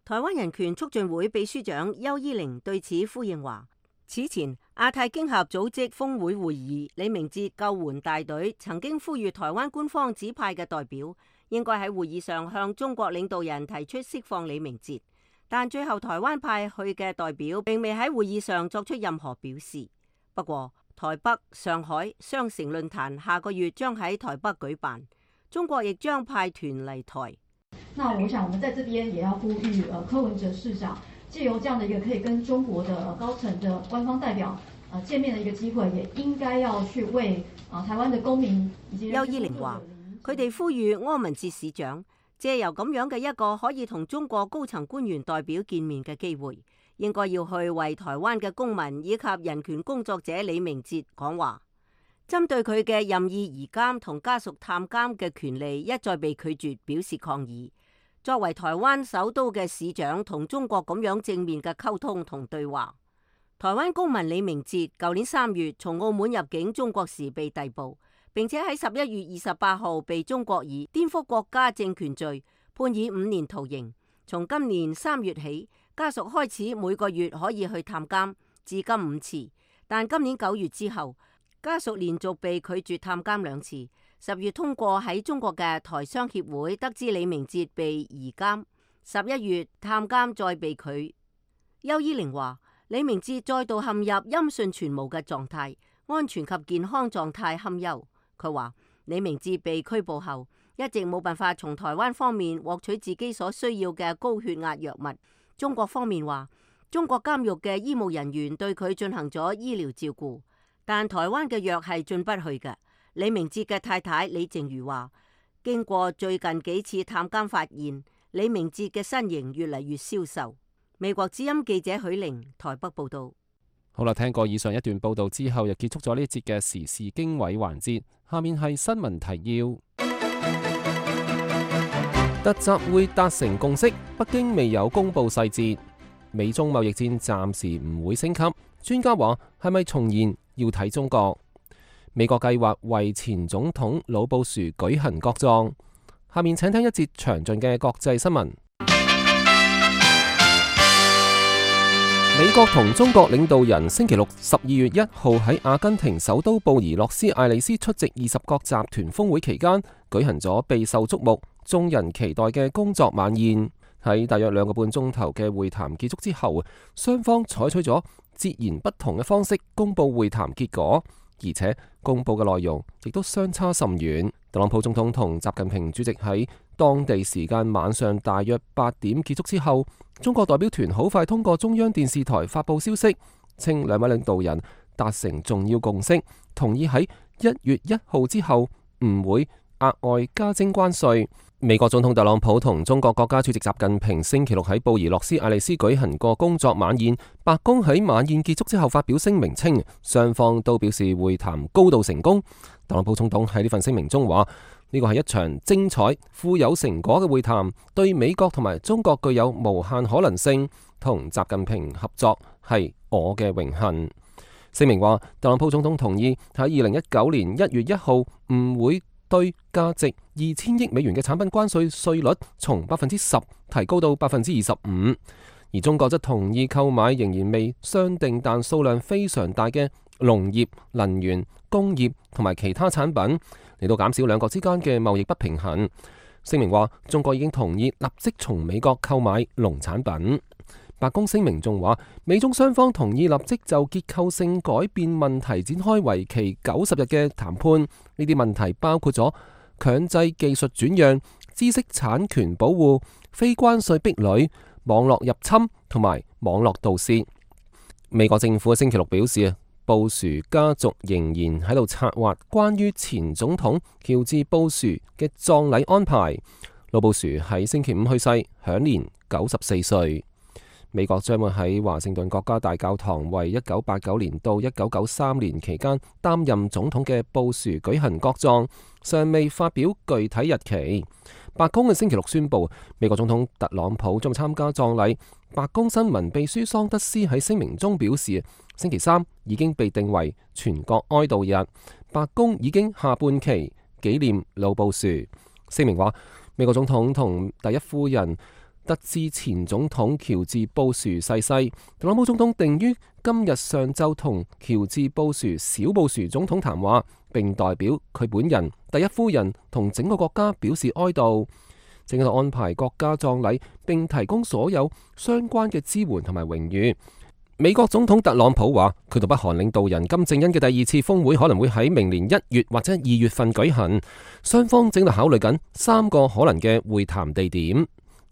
台灣人權促進會秘書長邱依玲對此呼應話：此前亞太經合組織峰會會議，李明哲救援大隊曾經呼籲台灣官方指派嘅代表應該喺會議上向中國領導人提出釋放李明哲，但最後台灣派去嘅代表並未喺會議上作出任何表示。不過台北、上海雙城論壇下個月將喺台北舉辦，中國亦將派團嚟台。那我想，我們在這邊也要呼籲，呃，柯文哲市長借由這樣的一個可以跟中國的高層的官方代表，呃，見面的一個機會，也應該要去為啊、呃、台灣的公民以及。邱依玲話：佢哋呼籲柯文哲市長借由咁樣嘅一個可以同中國高層官員代表見面嘅機會，應該要去為台灣嘅公民以及人權工作者李明哲講話。針對佢嘅任意移監同家屬探監嘅權利一再被拒絕，表示抗議。作為台灣首都嘅市長，同中國咁樣正面嘅溝通同對話。台灣公民李明哲舊年三月從澳門入境中國時被逮捕，並且喺十一月二十八號被中國以顛覆國家政權罪判以五年徒刑。從今年三月起，家屬開始每個月可以去探監，至今五次。但今年九月之後，家屬連續被拒絕探監兩次。十月通過喺中國嘅台商協會得知李明哲被移監，十一月探監再被拒。邱依玲話：李明哲再度陷入音訊全無嘅狀態，安全及健康狀態堪憂。佢話李明哲被拘捕後，一直冇辦法從台灣方面獲取自己所需要嘅高血壓藥物。中國方面話，中國監獄嘅醫務人員對佢進行咗醫療照顧，但台灣嘅藥係進不去嘅。李明哲嘅太太李靜茹話，經過最近幾次探監，發現李明哲嘅身形越嚟越消瘦。美國之音記者許玲台北報道。好啦，聽過以上一段報道之後，又結束咗呢一節嘅時事經緯環節。下面係新聞提要。突襲會達成共識，北京未有公布細節。美中貿易戰暫時唔會升級，專家話係咪重燃要睇中國。美國計劃為前總統老布殊舉行國葬。下面請聽一節詳盡嘅國際新聞。美國同中國領導人星期六十二月一號喺阿根廷首都布宜諾斯艾利斯出席二十國集團峰會期間，舉行咗備受矚目、眾人期待嘅工作晚宴。喺大約兩個半鐘頭嘅會談結束之後，雙方採取咗截然不同嘅方式公佈會談結果，而且公佈嘅內容亦都相差甚遠。特朗普總統同習近平主席喺當地時間晚上大約八點結束之後，中國代表團好快通過中央電視台發佈消息，稱兩位領導人達成重要共識，同意喺一月一號之後唔會額外加徵關稅。美國總統特朗普同中國國家主席習近平星期六喺布宜諾斯艾利斯舉行過工作晚宴。白宮喺晚宴結束之後發表聲明稱，雙方都表示會談高度成功。特朗普總統喺呢份聲明中話，呢個係一場精彩、富有成果嘅會談，對美國同埋中國具有無限可能性。同習近平合作係我嘅榮幸。聲明話，特朗普總統同意喺二零一九年一月一號唔會對價值二千億美元嘅產品關稅稅率從百分之十提高到百分之二十五，而中國則同意購買仍然未商定但數量非常大嘅農業、能源、工業同埋其他產品，嚟到減少兩國之間嘅貿易不平衡。聲明話，中國已經同意立即從美國購買農產品。白宮聲明仲話，美中雙方同意立即就結構性改變問題展開為期九十日嘅談判。呢啲問題包括咗強制技術轉讓、知識產權保護、非關稅壁壘、網絡入侵同埋網絡盜竊。美國政府星期六表示，布殊家族仍然喺度策劃關於前總統喬治布殊嘅葬禮安排。老布殊喺星期五去世，享年九十四歲。美國將會喺華盛頓國家大教堂為一九八九年到一九九三年期間擔任總統嘅布殊舉行國葬，尚未發表具體日期。白宮嘅星期六宣布，美國總統特朗普將參加葬禮。白宮新聞秘書桑德斯喺聲明中表示，星期三已經被定為全國哀悼日，白宮已經下半旗紀念老布殊。聲明話，美國總統同第一夫人得知前總統喬治布殊逝世，特朗普總統定於今日上晝同喬治布殊小布殊總統談話，並代表佢本人、第一夫人同整個國家表示哀悼，正喺度安排國家葬禮，並提供所有相關嘅支援同埋榮譽。美國總統特朗普話，佢同北韓領導人金正恩嘅第二次峰會可能會喺明年一月或者二月份舉行，雙方正在考慮緊三個可能嘅會談地點。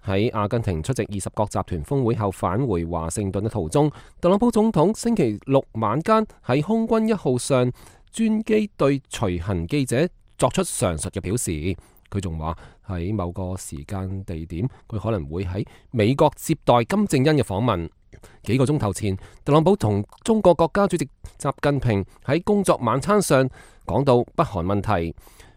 喺阿根廷出席二十國集團峰會後返回華盛頓嘅途中，特朗普總統星期六晚間喺空軍一號上專機對隨行記者作出上述嘅表示。佢仲話喺某個時間地點，佢可能會喺美國接待金正恩嘅訪問。幾個鐘頭前，特朗普同中國國家主席習近平喺工作晚餐上講到北韓問題。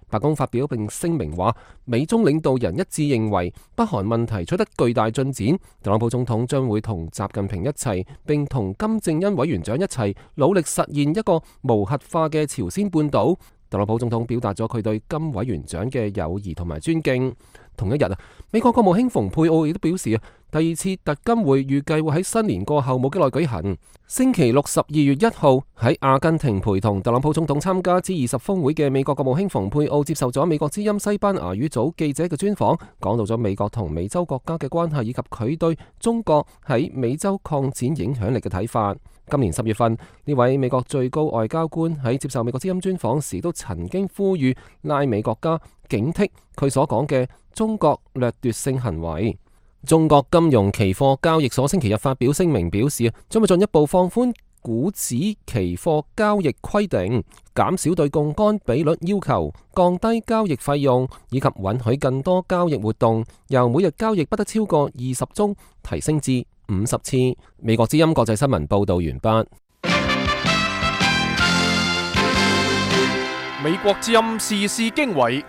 白宮發表並聲明話，美中領導人一致認為北韓問題取得巨大進展，特朗普總統將會同習近平一齊，並同金正恩委員長一齊努力實現一個無核化嘅朝鮮半島。特朗普總統表達咗佢對金委員長嘅友誼同埋尊敬。同一日啊，美國國務卿蓬佩奧亦都表示啊，第二次特金會預計會喺新年過後冇幾耐舉行。星期六十二月一號喺阿根廷陪同特朗普總統參加 G 二十峰會嘅美國國務卿蓬佩奧接受咗美國之音西班牙語組記者嘅專訪，講到咗美國同美洲國家嘅關係以及佢對中國喺美洲擴展影響力嘅睇法。今年十月份，呢位美國最高外交官喺接受美國之音專訪時，都曾經呼籲拉美國家警惕佢所講嘅中國掠奪性行為。中國金融期貨交易所星期日發表聲明表示，將會進一步放寬股指期貨交易規定，減少對槓桿比率要求，降低交易費用，以及允許更多交易活動，由每日交易不得超過二十宗，提升至五十次。美國之音國際新聞報道完畢。美國之音時事經緯，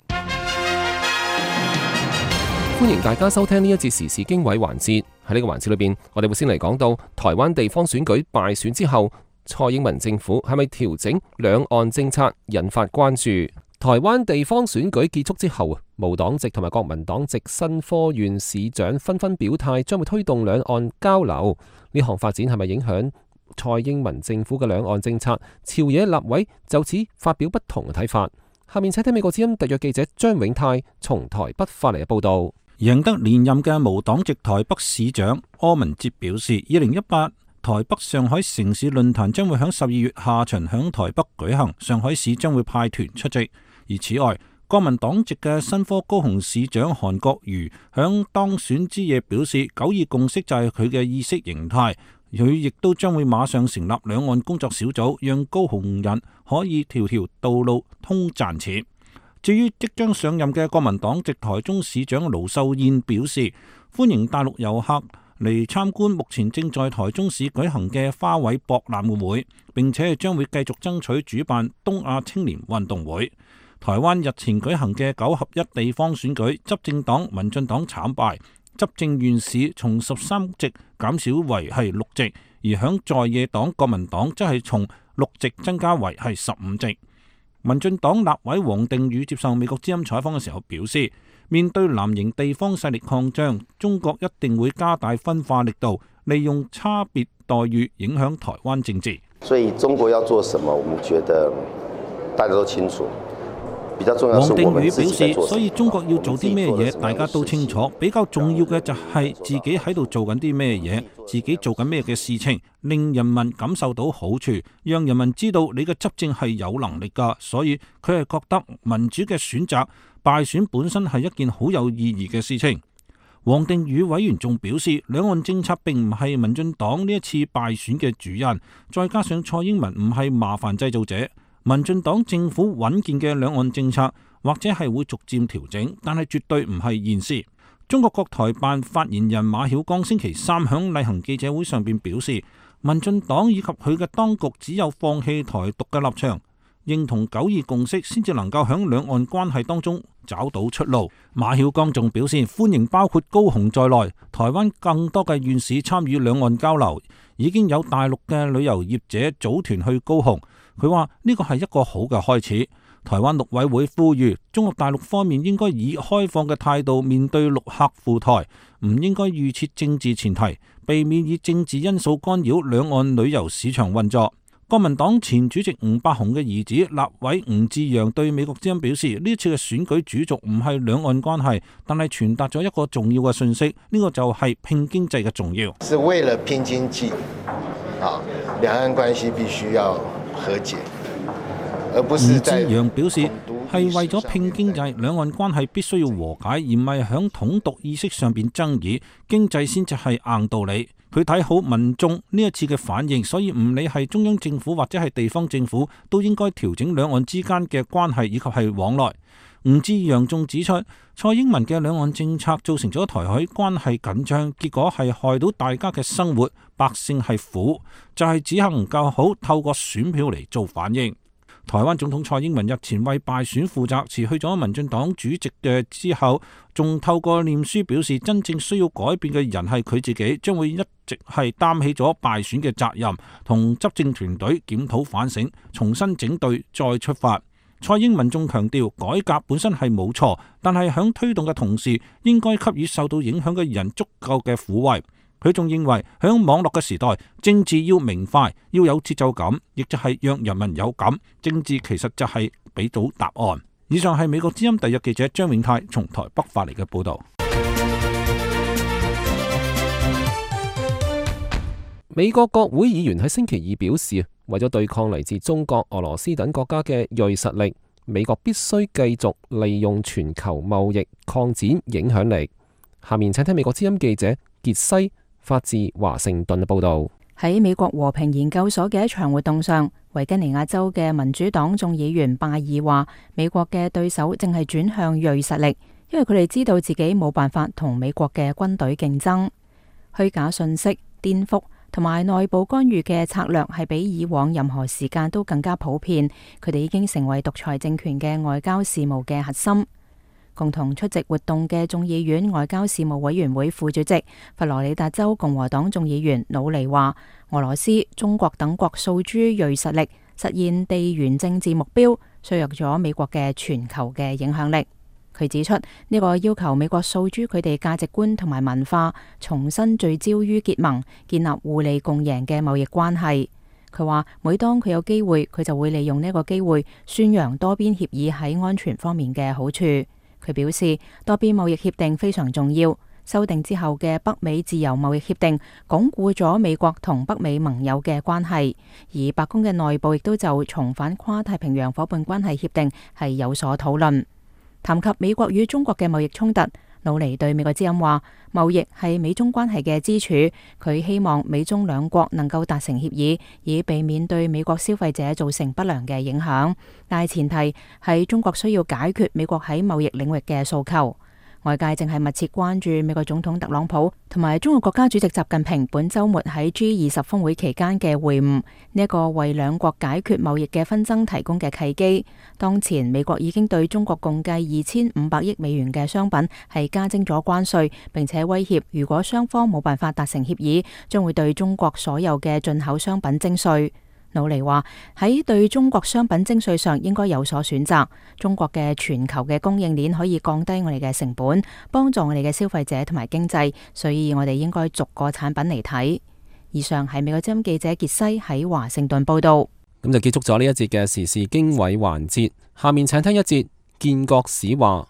歡迎大家收聽呢一節時事經緯環節。喺呢個環節裏邊，我哋會先嚟講到台灣地方選舉敗選之後，蔡英文政府係咪調整兩岸政策，引發關注。台灣地方選舉結束之後，無黨籍同埋國民黨籍新科縣市長紛紛表態，將會推動兩岸交流。呢項發展係咪影響蔡英文政府嘅兩岸政策？朝野立委就此發表不同嘅睇法。下面請聽美國之音特約記者張永泰從台北發嚟嘅報道。贏得連任嘅無黨籍台北市長柯文哲表示，二零一八台北上海城市論壇將會喺十二月下旬響台北舉行，上海市將會派團出席。而此外，國民黨籍嘅新科高雄市長韓國瑜響當選之夜表示，九二共識就係佢嘅意識形態，佢亦都將會馬上成立兩岸工作小組，讓高雄人可以條條道路通賺錢。至於即將上任嘅國民黨籍台中市長盧秀燕表示，歡迎大陸遊客嚟參觀目前正在台中市舉行嘅花卉博覽會，並且將會繼續爭取主辦東亞青年運動會。台灣日前舉行嘅九合一地方選舉，執政黨民進黨慘敗，執政縣市從十三席減少為係六席，而響在野黨國民黨則係從六席增加為係十五席。民進黨立委王定宇接受美國之音採訪嘅時候表示，面對藍營地方勢力擴張，中國一定會加大分化力度，利用差別待遇影響台灣政治。所以中國要做什麼，我們覺得大家都清楚。比較重要是我們自己在做什麼。王定宇表示，所以中國要做啲咩嘢，大家都清楚。比較重要嘅就係自己喺度做緊啲咩嘢，自己做緊咩嘅事情，令人民感受到好處，讓人民知道你嘅執政係有能力㗎。所以佢係覺得民主嘅選擇敗選本身係一件好有意義嘅事情。王定宇委員仲表示，兩岸政策並唔係民進黨呢一次敗選嘅主因，再加上蔡英文唔係麻煩製造者。民進黨政府穩健嘅兩岸政策，或者係會逐漸調整，但係絕對唔係現時。中國國台辦發言人馬曉光星期三響例行記者會上邊表示，民進黨以及佢嘅當局只有放棄台獨嘅立場，認同九二共識，先至能夠響兩岸關係當中找到出路。馬曉光仲表示，歡迎包括高雄在內台灣更多嘅縣市參與兩岸交流，已經有大陸嘅旅遊業者組團去高雄。佢話呢個係一個好嘅開始。台灣陸委會呼籲中國大陸方面應該以開放嘅態度面對陸客赴台，唔應該預設政治前提，避免以政治因素干擾兩岸旅遊市場運作。國民黨前主席吳伯雄嘅兒子立委吳志陽對美國之音表示，呢次嘅選舉主軸唔係兩岸關係，但係傳達咗一個重要嘅訊息，呢個就係拼經濟嘅重要。是為了拼經濟，啊，兩岸關係必須要和解，而不是在。吳志陽表示係為咗拼經濟，兩岸關係必須要和解，而唔係響統獨意識上邊爭議，經濟先至係硬道理。佢睇好民眾呢一次嘅反應，所以唔理係中央政府或者係地方政府，都應該調整兩岸之間嘅關係以及係往來。吳志陽仲指出，蔡英文嘅兩岸政策造成咗台海關係緊張，結果係害到大家嘅生活，百姓係苦，就係只能夠好透過選票嚟做反應。台灣總統蔡英文日前為敗選負責，辭去咗民進黨主席嘅之後，仲透過臉書表示，真正需要改變嘅人係佢自己，將會一直係擔起咗敗選嘅責任，同執政團隊檢討反省，重新整隊再出發。蔡英文仲強調，改革本身係冇錯，但係響推動嘅同時，應該給予受到影響嘅人足夠嘅撫慰。佢仲認為，響網絡嘅時代，政治要明快，要有節奏感，亦就係讓人民有感。政治其實就係俾到答案。以上係美國之音特約記者張永泰從台北發嚟嘅報道。美國國會議員喺星期二表示，為咗對抗嚟自中國、俄羅斯等國家嘅銳實力，美國必須繼續利用全球貿易擴展影響力。下面請聽美國之音記者傑西發自華盛頓嘅報道。喺美國和平研究所嘅一場活動上，維吉尼亞州嘅民主黨眾議員拜爾話，美國嘅對手正係轉向銳實力，因為佢哋知道自己冇辦法同美國嘅軍隊競爭。虛假信息、顛覆同埋內部干預嘅策略係比以往任何時間都更加普遍，佢哋已經成為獨裁政權嘅外交事務嘅核心。共同出席活動嘅眾議院外交事務委員會副主席、佛羅里達州共和黨眾議員魯尼話，俄羅斯、中國等國訴諸銳實力，實現地緣政治目標，削弱咗美國嘅全球嘅影響力。佢指出，呢、這個要求美國訴諸佢哋價值觀同埋文化，重新聚焦於結盟，建立互利共贏嘅貿易關係。佢話，每當佢有機會，佢就會利用呢個機會宣揚多邊協議喺安全方面嘅好處。佢表示，多邊貿易協定非常重要。修訂之後嘅北美自由貿易協定鞏固咗美國同北美盟友嘅關係，而白宮嘅內部亦都就重返跨太平洋夥伴關係協定係有所討論。談及美國與中國嘅貿易衝突，魯尼對美國之音話，貿易係美中關係嘅支柱，佢希望美中兩國能夠達成協議，以避免對美國消費者造成不良嘅影響，但係前提係中國需要解決美國喺貿易領域嘅訴求。外界正係密切關注美國總統特朗普同埋中國國家主席習近平本週末喺 G 二十峰會期間嘅會晤，呢一個為兩國解決貿易嘅紛爭提供嘅契機。當前美國已經對中國共計二千五百億美元嘅商品係加徵咗關稅，並且威脅如果雙方冇辦法達成協議，將會對中國所有嘅進口商品徵稅。魯尼話，喺對中國商品徵稅上應該有所選擇，中國嘅全球嘅供應鏈可以降低我哋嘅成本，幫助我哋嘅消費者同埋經濟，所以我哋應該逐個產品嚟睇。以上係美國之音記者傑西喺華盛頓報道。咁就結束咗呢一節嘅時事經緯環節，下面請聽一節建國史話。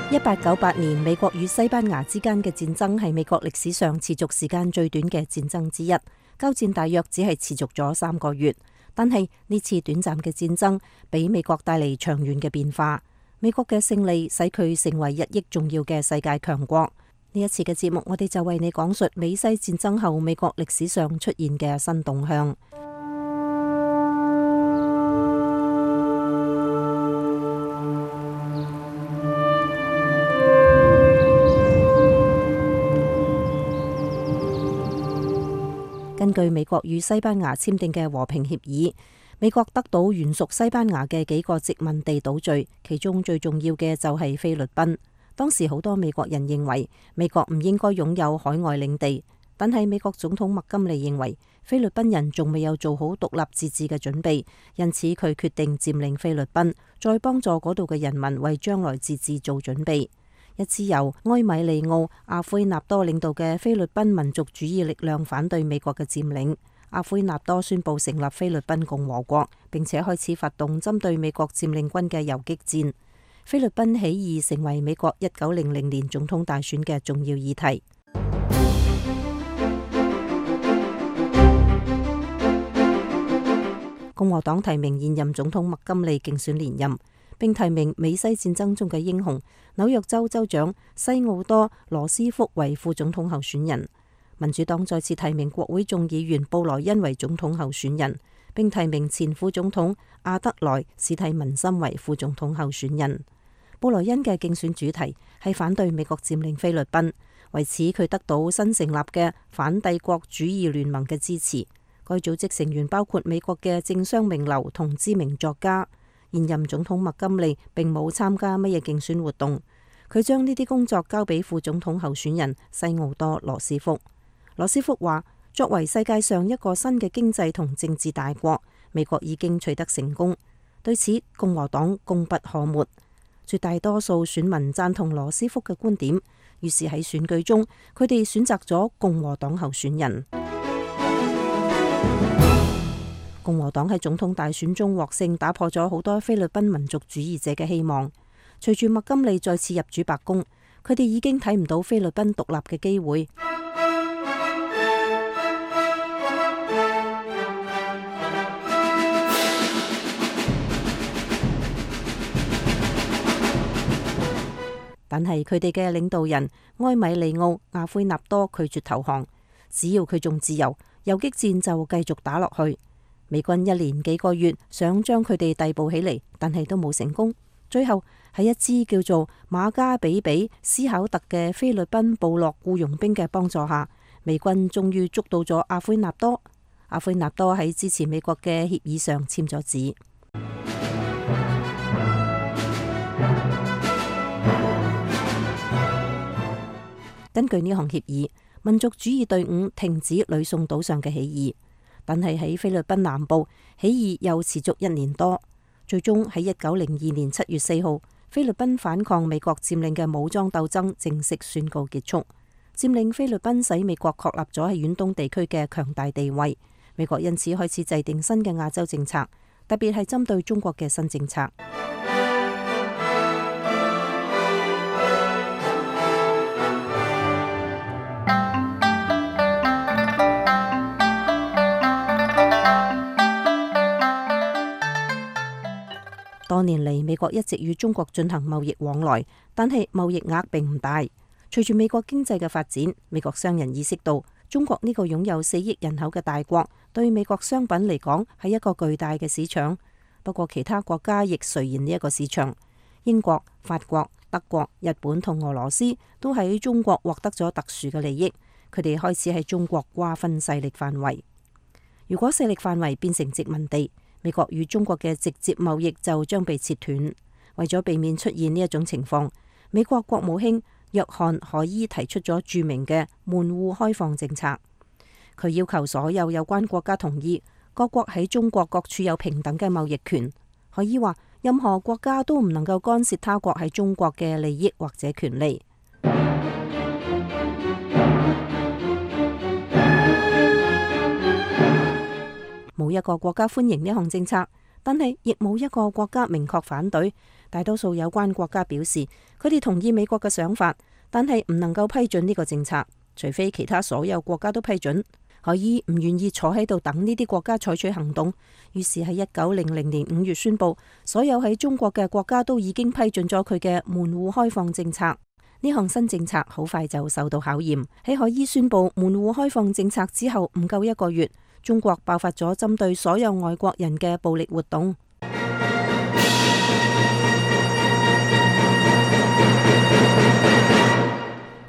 一八九八年，美國與西班牙之間嘅戰爭係美國歷史上持續時間最短嘅戰爭之一，交戰大約只係持續咗三個月。但係呢次短暫嘅戰爭俾美國帶嚟長遠嘅變化。美國嘅勝利使佢成為日益重要嘅世界強國。呢一次嘅節目，我哋就為你講述美西戰爭後美國歷史上出現嘅新動向。根據美國與西班牙簽訂嘅和平協議，美國得到原屬西班牙嘅幾個殖民地島嶼，其中最重要嘅就係菲律賓。當時好多美國人認為美國唔應該擁有海外領地，但係美國總統麥金利認為菲律賓人仲未有做好獨立自治嘅準備，因此佢決定佔領菲律賓，再幫助嗰度嘅人民為將來自治做準備。一支由埃米利奧·阿奎納多領導嘅菲律賓民族主義力量反對美國嘅佔領。阿奎納多宣布成立菲律賓共和國，並且開始發動針對美國佔領軍嘅游擊戰。菲律賓起義成為美國一九零零年總統大選嘅重要議題。共和黨提名現任總統麥金利競選連任，並提名美西戰爭中嘅英雄紐約州州長西奧多·羅斯福為副總統候選人。民主黨再次提名國會眾議員布萊恩為總統候選人，並提名前副總統阿德萊史蒂文森為副總統候選人。布萊恩嘅競選主題係反對美國佔領菲律賓，為此佢得到新成立嘅反帝國主義聯盟嘅支持。該組織成員包括美國嘅政商名流同知名作家。現任總統麥金利並冇參加乜嘢競選活動，佢將呢啲工作交俾副總統候選人西奧多·羅斯福。羅斯福話：作為世界上一個新嘅經濟同政治大國，美國已經取得成功，對此共和黨功不可沒。絕大多數選民贊同羅斯福嘅觀點，於是喺選舉中，佢哋選擇咗共和黨候選人。共和黨喺總統大選中獲勝，打破咗好多菲律賓民族主義者嘅希望。隨住麥金利再次入主白宮，佢哋已經睇唔到菲律賓獨立嘅機會。大但係佢哋嘅領導人埃米利奧·阿奎納多拒絕投降，只要佢仲自由，游擊戰就繼續打落去。美軍一連幾個月想將佢哋逮捕起嚟，但係都冇成功。最後喺一支叫做馬加比比斯考特嘅菲律賓部落僱傭兵嘅幫助下，美軍終於捉到咗阿奎納多。阿奎納多喺支持美國嘅協議上簽咗字。根據呢項協議，民族主義隊伍停止呂宋島上嘅起義，但係喺菲律賓南部起義又持續一年多。最終喺一九零二年七月四號，菲律賓反抗美國佔領嘅武裝鬥爭正式宣告結束。佔領菲律賓使美國確立咗喺遠東地區嘅強大地位。美國因此開始制定新嘅亞洲政策，特別係針對中國嘅新政策。多年嚟，美國一直與中國進行貿易往來，但係貿易額並唔大。隨住美國經濟嘅發展，美國商人意識到中國呢個擁有四億人口嘅大國，對美國商品嚟講係一個巨大嘅市場。不過其他國家亦垂涎呢一個市場。英國、法國、德國、日本同俄羅斯都喺中國獲得咗特殊嘅利益，佢哋開始喺中國瓜分勢力範圍。如果勢力範圍變成殖民地，美國與中國嘅直接貿易就將被切斷。為咗避免出現呢一種情況，美國國務卿約翰海伊提出咗著名嘅門戶開放政策。佢要求所有有關國家同意各國喺中國各處有平等嘅貿易權。海伊話，任何國家都唔能夠干涉他國喺中國嘅利益或者權利。冇一個國家歡迎呢項政策，但係亦冇一個國家明確反對。大多數有關國家表示，佢哋同意美國嘅想法，但係唔能夠批准呢個政策，除非其他所有國家都批准。海伊唔願意坐喺度等呢啲國家採取行動，於是喺一九零零年五月宣布，所有喺中國嘅國家都已經批准咗佢嘅門戶開放政策。呢項新政策好快就受到考驗。喺海伊宣布門戶開放政策之後唔夠一個月，中國爆發咗針對所有外國人嘅暴力活動。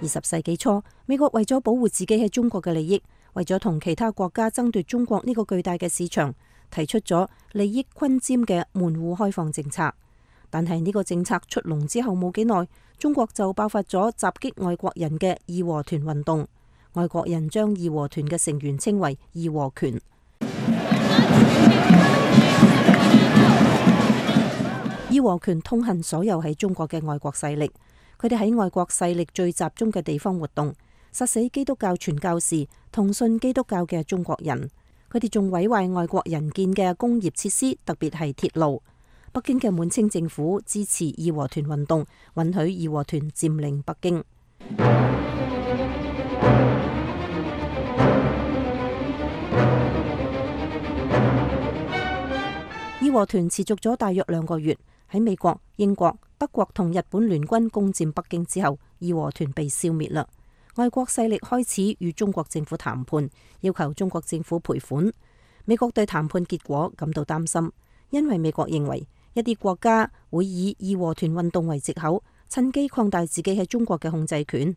二十世紀初，美國為咗保護自己喺中國嘅利益，為咗同其他國家爭奪中國呢個巨大嘅市場，提出咗利益均沾嘅門戶開放政策。但係呢個政策出籠之後冇幾耐，中國就爆發咗襲擊外國人嘅義和團運動。外國人將義和團嘅成員稱為義和拳。義和拳痛恨所有喺中國嘅外國勢力，佢哋喺外國勢力最集中嘅地方活動，殺死基督教傳教士同信基督教嘅中國人。佢哋仲毀壞外國人建嘅工業設施，特別係鐵路。北京嘅滿清政府支持義和團運動，允許義和團佔領北京。義和團持續咗大約兩個月，喺美國、英國、德國同日本聯軍攻佔北京之後，義和團被消滅啦。外國勢力開始與中國政府談判，要求中國政府賠款。美國對談判結果感到擔心，因為美國認為一啲國家會以義和團運動為藉口，趁機擴大自己喺中國嘅控制權。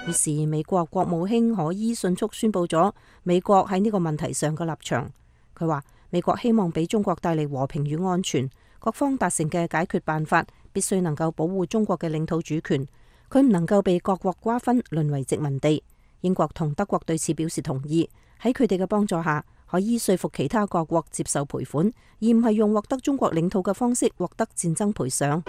於是美國國務卿可伊迅速宣布咗美國喺呢個問題上嘅立場。佢話美國希望俾中國帶嚟和平與安全，各方達成嘅解決辦法必須能夠保護中國嘅領土主權，佢唔能夠被各國瓜分，淪為殖民地。英國同德國對此表示同意。喺佢哋嘅幫助下，可以說服其他各國接受賠款，而唔係用獲得中國領土嘅方式獲得戰爭賠償。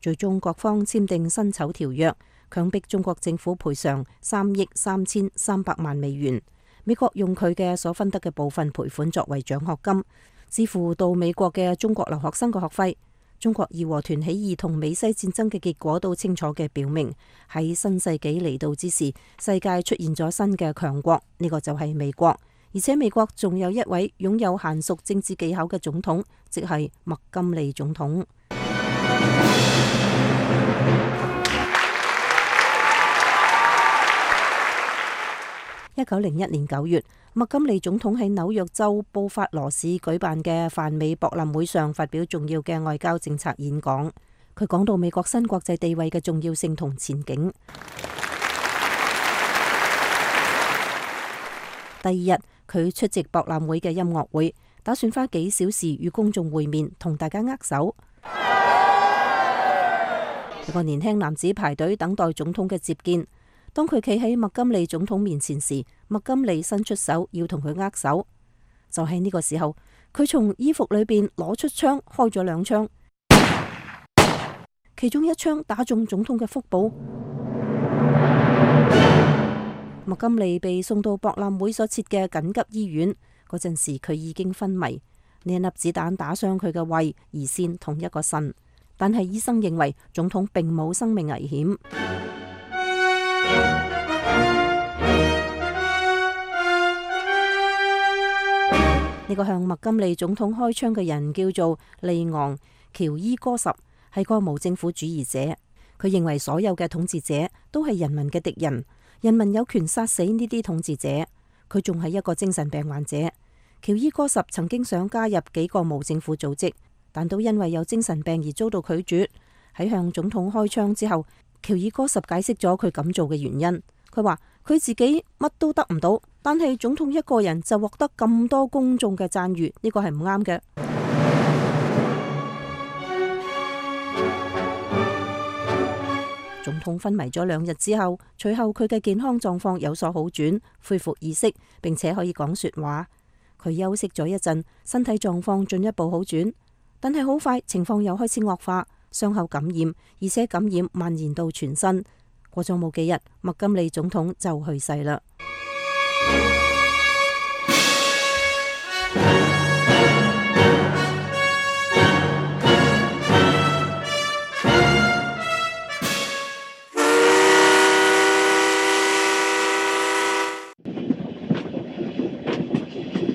最終各方簽訂辛丑條約，強迫中國政府賠償三億三千三百萬美元。美國用佢嘅所分得嘅部分賠款作為獎學金，支付到美國嘅中國留學生嘅學費。中國義和團起義同美西戰爭嘅結果都清楚嘅表明，喺新世紀嚟到之時，世界出現咗新嘅強國，呢個就係美國。而且美國仲有一位擁有嫻熟政治技巧嘅總統，即係麥金利總統。一九零一年九月，麥金利總統喺紐約州布法羅市舉辦嘅泛美博覽會上發表重要嘅外交政策演講。佢講到美國新國際地位嘅重要性同前景。第二日，佢出席博覽會嘅音樂會，打算花幾小時與公眾會面，同大家握手。一個年輕男子排隊等待總統嘅接見。當佢企喺麥金利總統面前時，麥金利伸出手要同佢握手。就喺呢個時候，佢從衣服裏邊攞出槍，開咗兩槍，其中一槍打中總統嘅腹部。麥金利被送到博覽會所設嘅緊急醫院，嗰陣時佢已經昏迷。呢一粒子彈打傷佢嘅胃、胰腺同一個腎，但係醫生認為總統並冇生命危險。呢個向麥金利總統開槍嘅人叫做利昂喬伊戈什，係個無政府主義者。佢認為所有嘅統治者都係人民嘅敵人，人民有權殺死呢啲統治者。佢仲係一個精神病患者。喬伊戈什曾經想加入幾個無政府組織，但都因為有精神病而遭到拒絕。喺向總統開槍之後，喬伊戈什解釋咗佢咁做嘅原因。佢話佢自己乜都得唔到，但係總統一個人就獲得咁多公眾嘅讚譽，呢個係唔啱嘅。總統昏迷咗兩日之後，隨後佢嘅健康狀況有所好轉，恢復意識，並且可以講說話。佢休息咗一陣，身體狀況進一步好轉，但係好快情況又開始惡化，傷口感染，而且感染蔓延到全身。過咗冇幾日，麥金利總統就去世啦。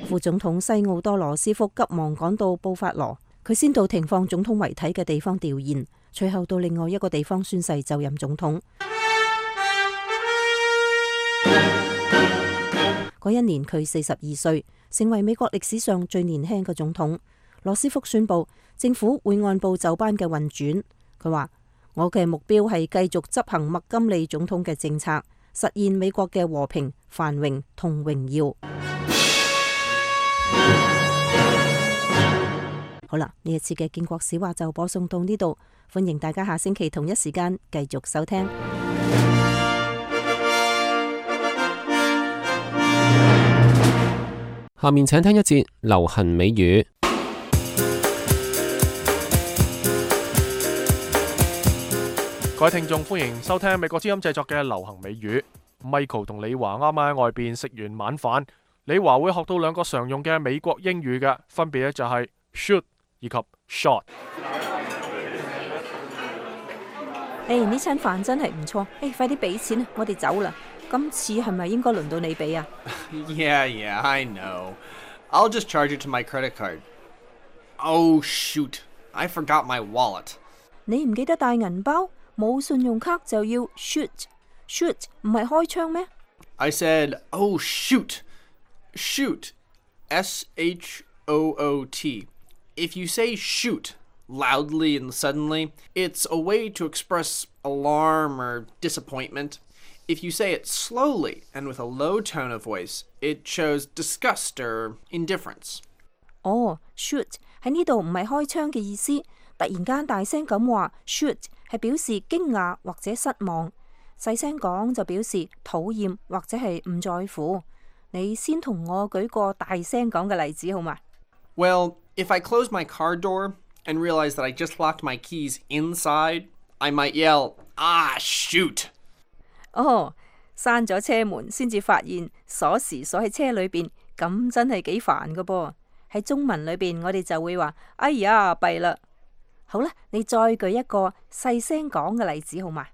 副總統西奧多羅斯福急忙趕到布法羅，佢先到停放總統遺體嘅地方弔唁，隨後到另外一個地方宣誓就任總統。嗰一年佢四十二歲，成為美國歷史上最年輕嘅總統。羅斯福宣布政府會按部就班嘅運轉。佢話：我嘅目標係繼續執行麥金利總統嘅政策，實現美國嘅和平、繁榮同榮耀。好啦，呢一次嘅建國史話就播送到呢度，歡迎大家下星期同一時間繼續收聽。下面請聽一節流行美語。各位聽眾，歡迎收聽美國之音製作嘅流行美語。Michael 同李華啱啱喺外邊食完晚飯，李華會學到兩個常用嘅美國英語嘅，分別咧就係 shoot 以及 shot。誒，呢餐飯真係唔錯，誒，快啲俾錢啊，我哋走啦。今次係咪應該輪到你俾啊？ Yeah, yeah, I know. I'll just charge it to my credit card. Oh, shoot. I forgot my wallet. 你唔記得帶銀包？冇信用卡就要 shoot. Shoot 唔係開槍咩？ I said, oh, shoot. Shoot. S H O O T. If you say shoot loudly and suddenly, it's a way to express alarm or disappointment. If you say it slowly and with a low tone of voice, it shows disgust or indifference. 哦 shoot 喺呢度唔係開槍嘅意思，突然間大聲咁話 shoot 係表示驚訝或者失望，細聲講就表示討厭或者係唔在乎。你先同我舉個大聲講嘅例子好嗎？ Well, if I close my car door and realize that I just locked my keys inside, I might yell, ah, shoot! 哦，閂咗車門先至發現鎖匙鎖喺車裏邊，咁真係幾煩噶噃。喺中文裏邊，我哋就會話：哎呀，弊啦！好啦，你再舉一個細聲講嘅例子好嗎？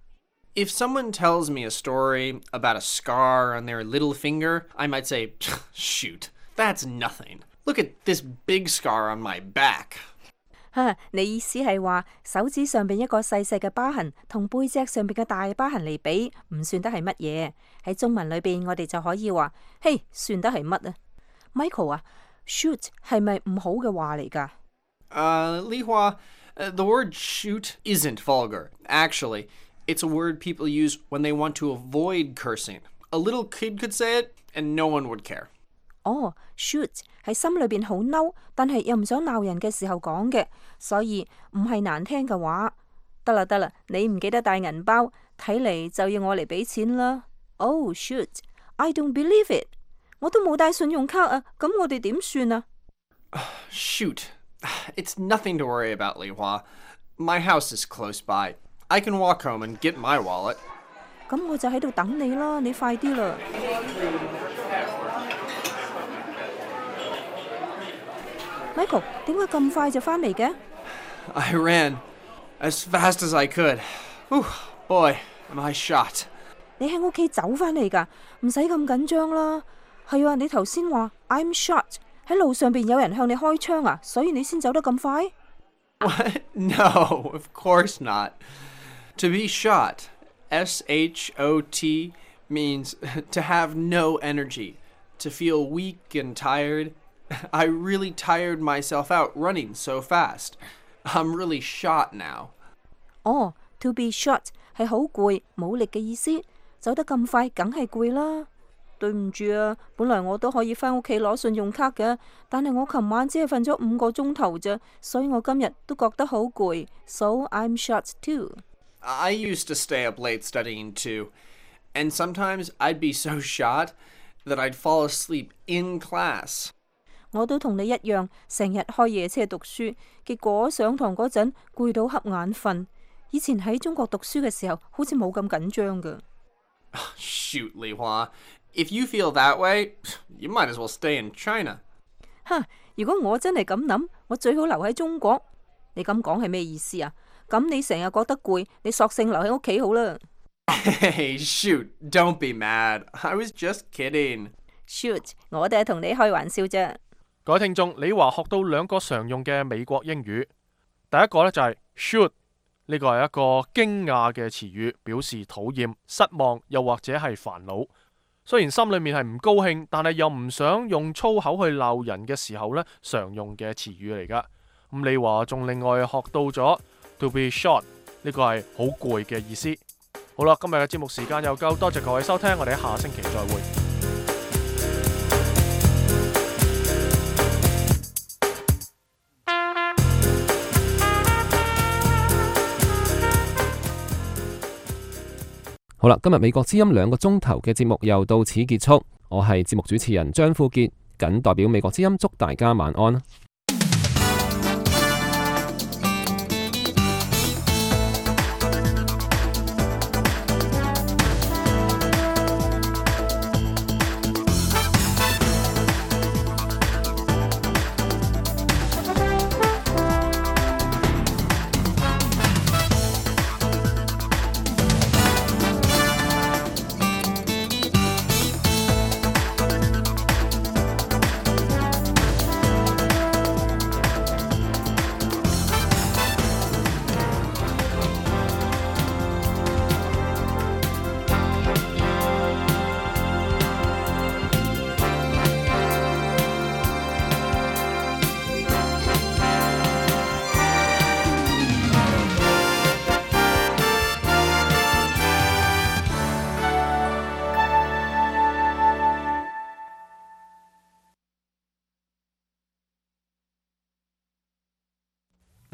If someone tells me a story about a scar on their little finger, I might say, shoot, that's nothing. Look at this big scar on my back. 哈，你意思係話手指上邊一個細細嘅疤痕，同背脊上邊嘅大疤痕嚟比，唔算得係乜嘢。喺中文裏邊，我哋就可以話，嘿，算得係乜啊 ？Michael 啊 ，shoot 係咪唔好嘅話嚟㗎？ Uh, Li Hua, uh, the word shoot isn't vulgar. Actually, it's a word people use when they want to avoid cursing. A little kid could say it, and no one would care. 哦 ，shoot 係心裏邊好嬲，但係又唔想鬧人嘅時候講嘅，所以唔係難聽嘅話。得啦得啦，你唔記得帶銀包，睇嚟就要我嚟俾錢啦。Oh shoot, I don't believe it. 我都冇帶信用卡啊，咁我哋點算啊 Shoot, it's nothing to worry about, Li Hua. My house is close by. I can walk home and get my wallet. 咁我就喺度等你啦，你快啲啦。Michael， 點解咁快就返嚟嘅 I ran as fast as I could. Whew, boy, am I shot. 你喺屋企走返嚟㗎，唔使咁緊張啦。係啊，你頭先話 I'm shot， 喺路上邊有人向你開槍啊，所以你先走得咁快 What? No, of course not. To be shot, S H O T, means to have no energy, to feel weak and tired. I really tired myself out running so fast. I'm really shot now. 哦 ，to be shot 係好攰、冇力嘅意思，走得咁快，梗係攰啦。對唔住啊，本來我都可以返屋企攞信用卡嘅，但係我琴晚只係瞓咗五個鐘頭啫，所以我今日都覺得好攰。So I'm shot too. I used to stay up late studying too, and sometimes I'd be so shot that I'd fall asleep in class. 我都同你一樣，成日開夜車讀書，結果上堂嗰陣攰到瞌眼瞓。以前喺中國讀書嘅時候，好似冇咁緊張㗎。Shoot, Li Hua. If you feel that way, you might as well stay in China. 哈！如果我真係咁諗，我最好留喺中國。你咁講係咩意思啊？咁你成日覺得攰，你索性留喺屋企好啦。Hey, shoot, don't be mad. I was just kidding. Shoot, 我哋係同你開玩笑啫。各位聽眾，李華學到兩個常用嘅美國英語。第一個呢就係 shoot， 呢個係一個驚訝嘅詞語，表示討厭、失望又或者係煩惱。雖然心裏面係唔高興，但係又唔想用粗口去鬧人嘅時候呢，常用嘅詞語嚟噶。咁李華仲另外學到咗 to be shot， 呢個係好攰嘅意思。好啦，今日嘅節目時間又夠，多謝各位收聽，我哋下星期再會。好啦，今日美國之音兩個鐘頭嘅節目又到此結束。我係節目主持人張富傑，謹代表美國之音祝大家晚安。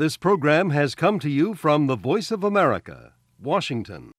This program has come to you from the Voice of America, Washington.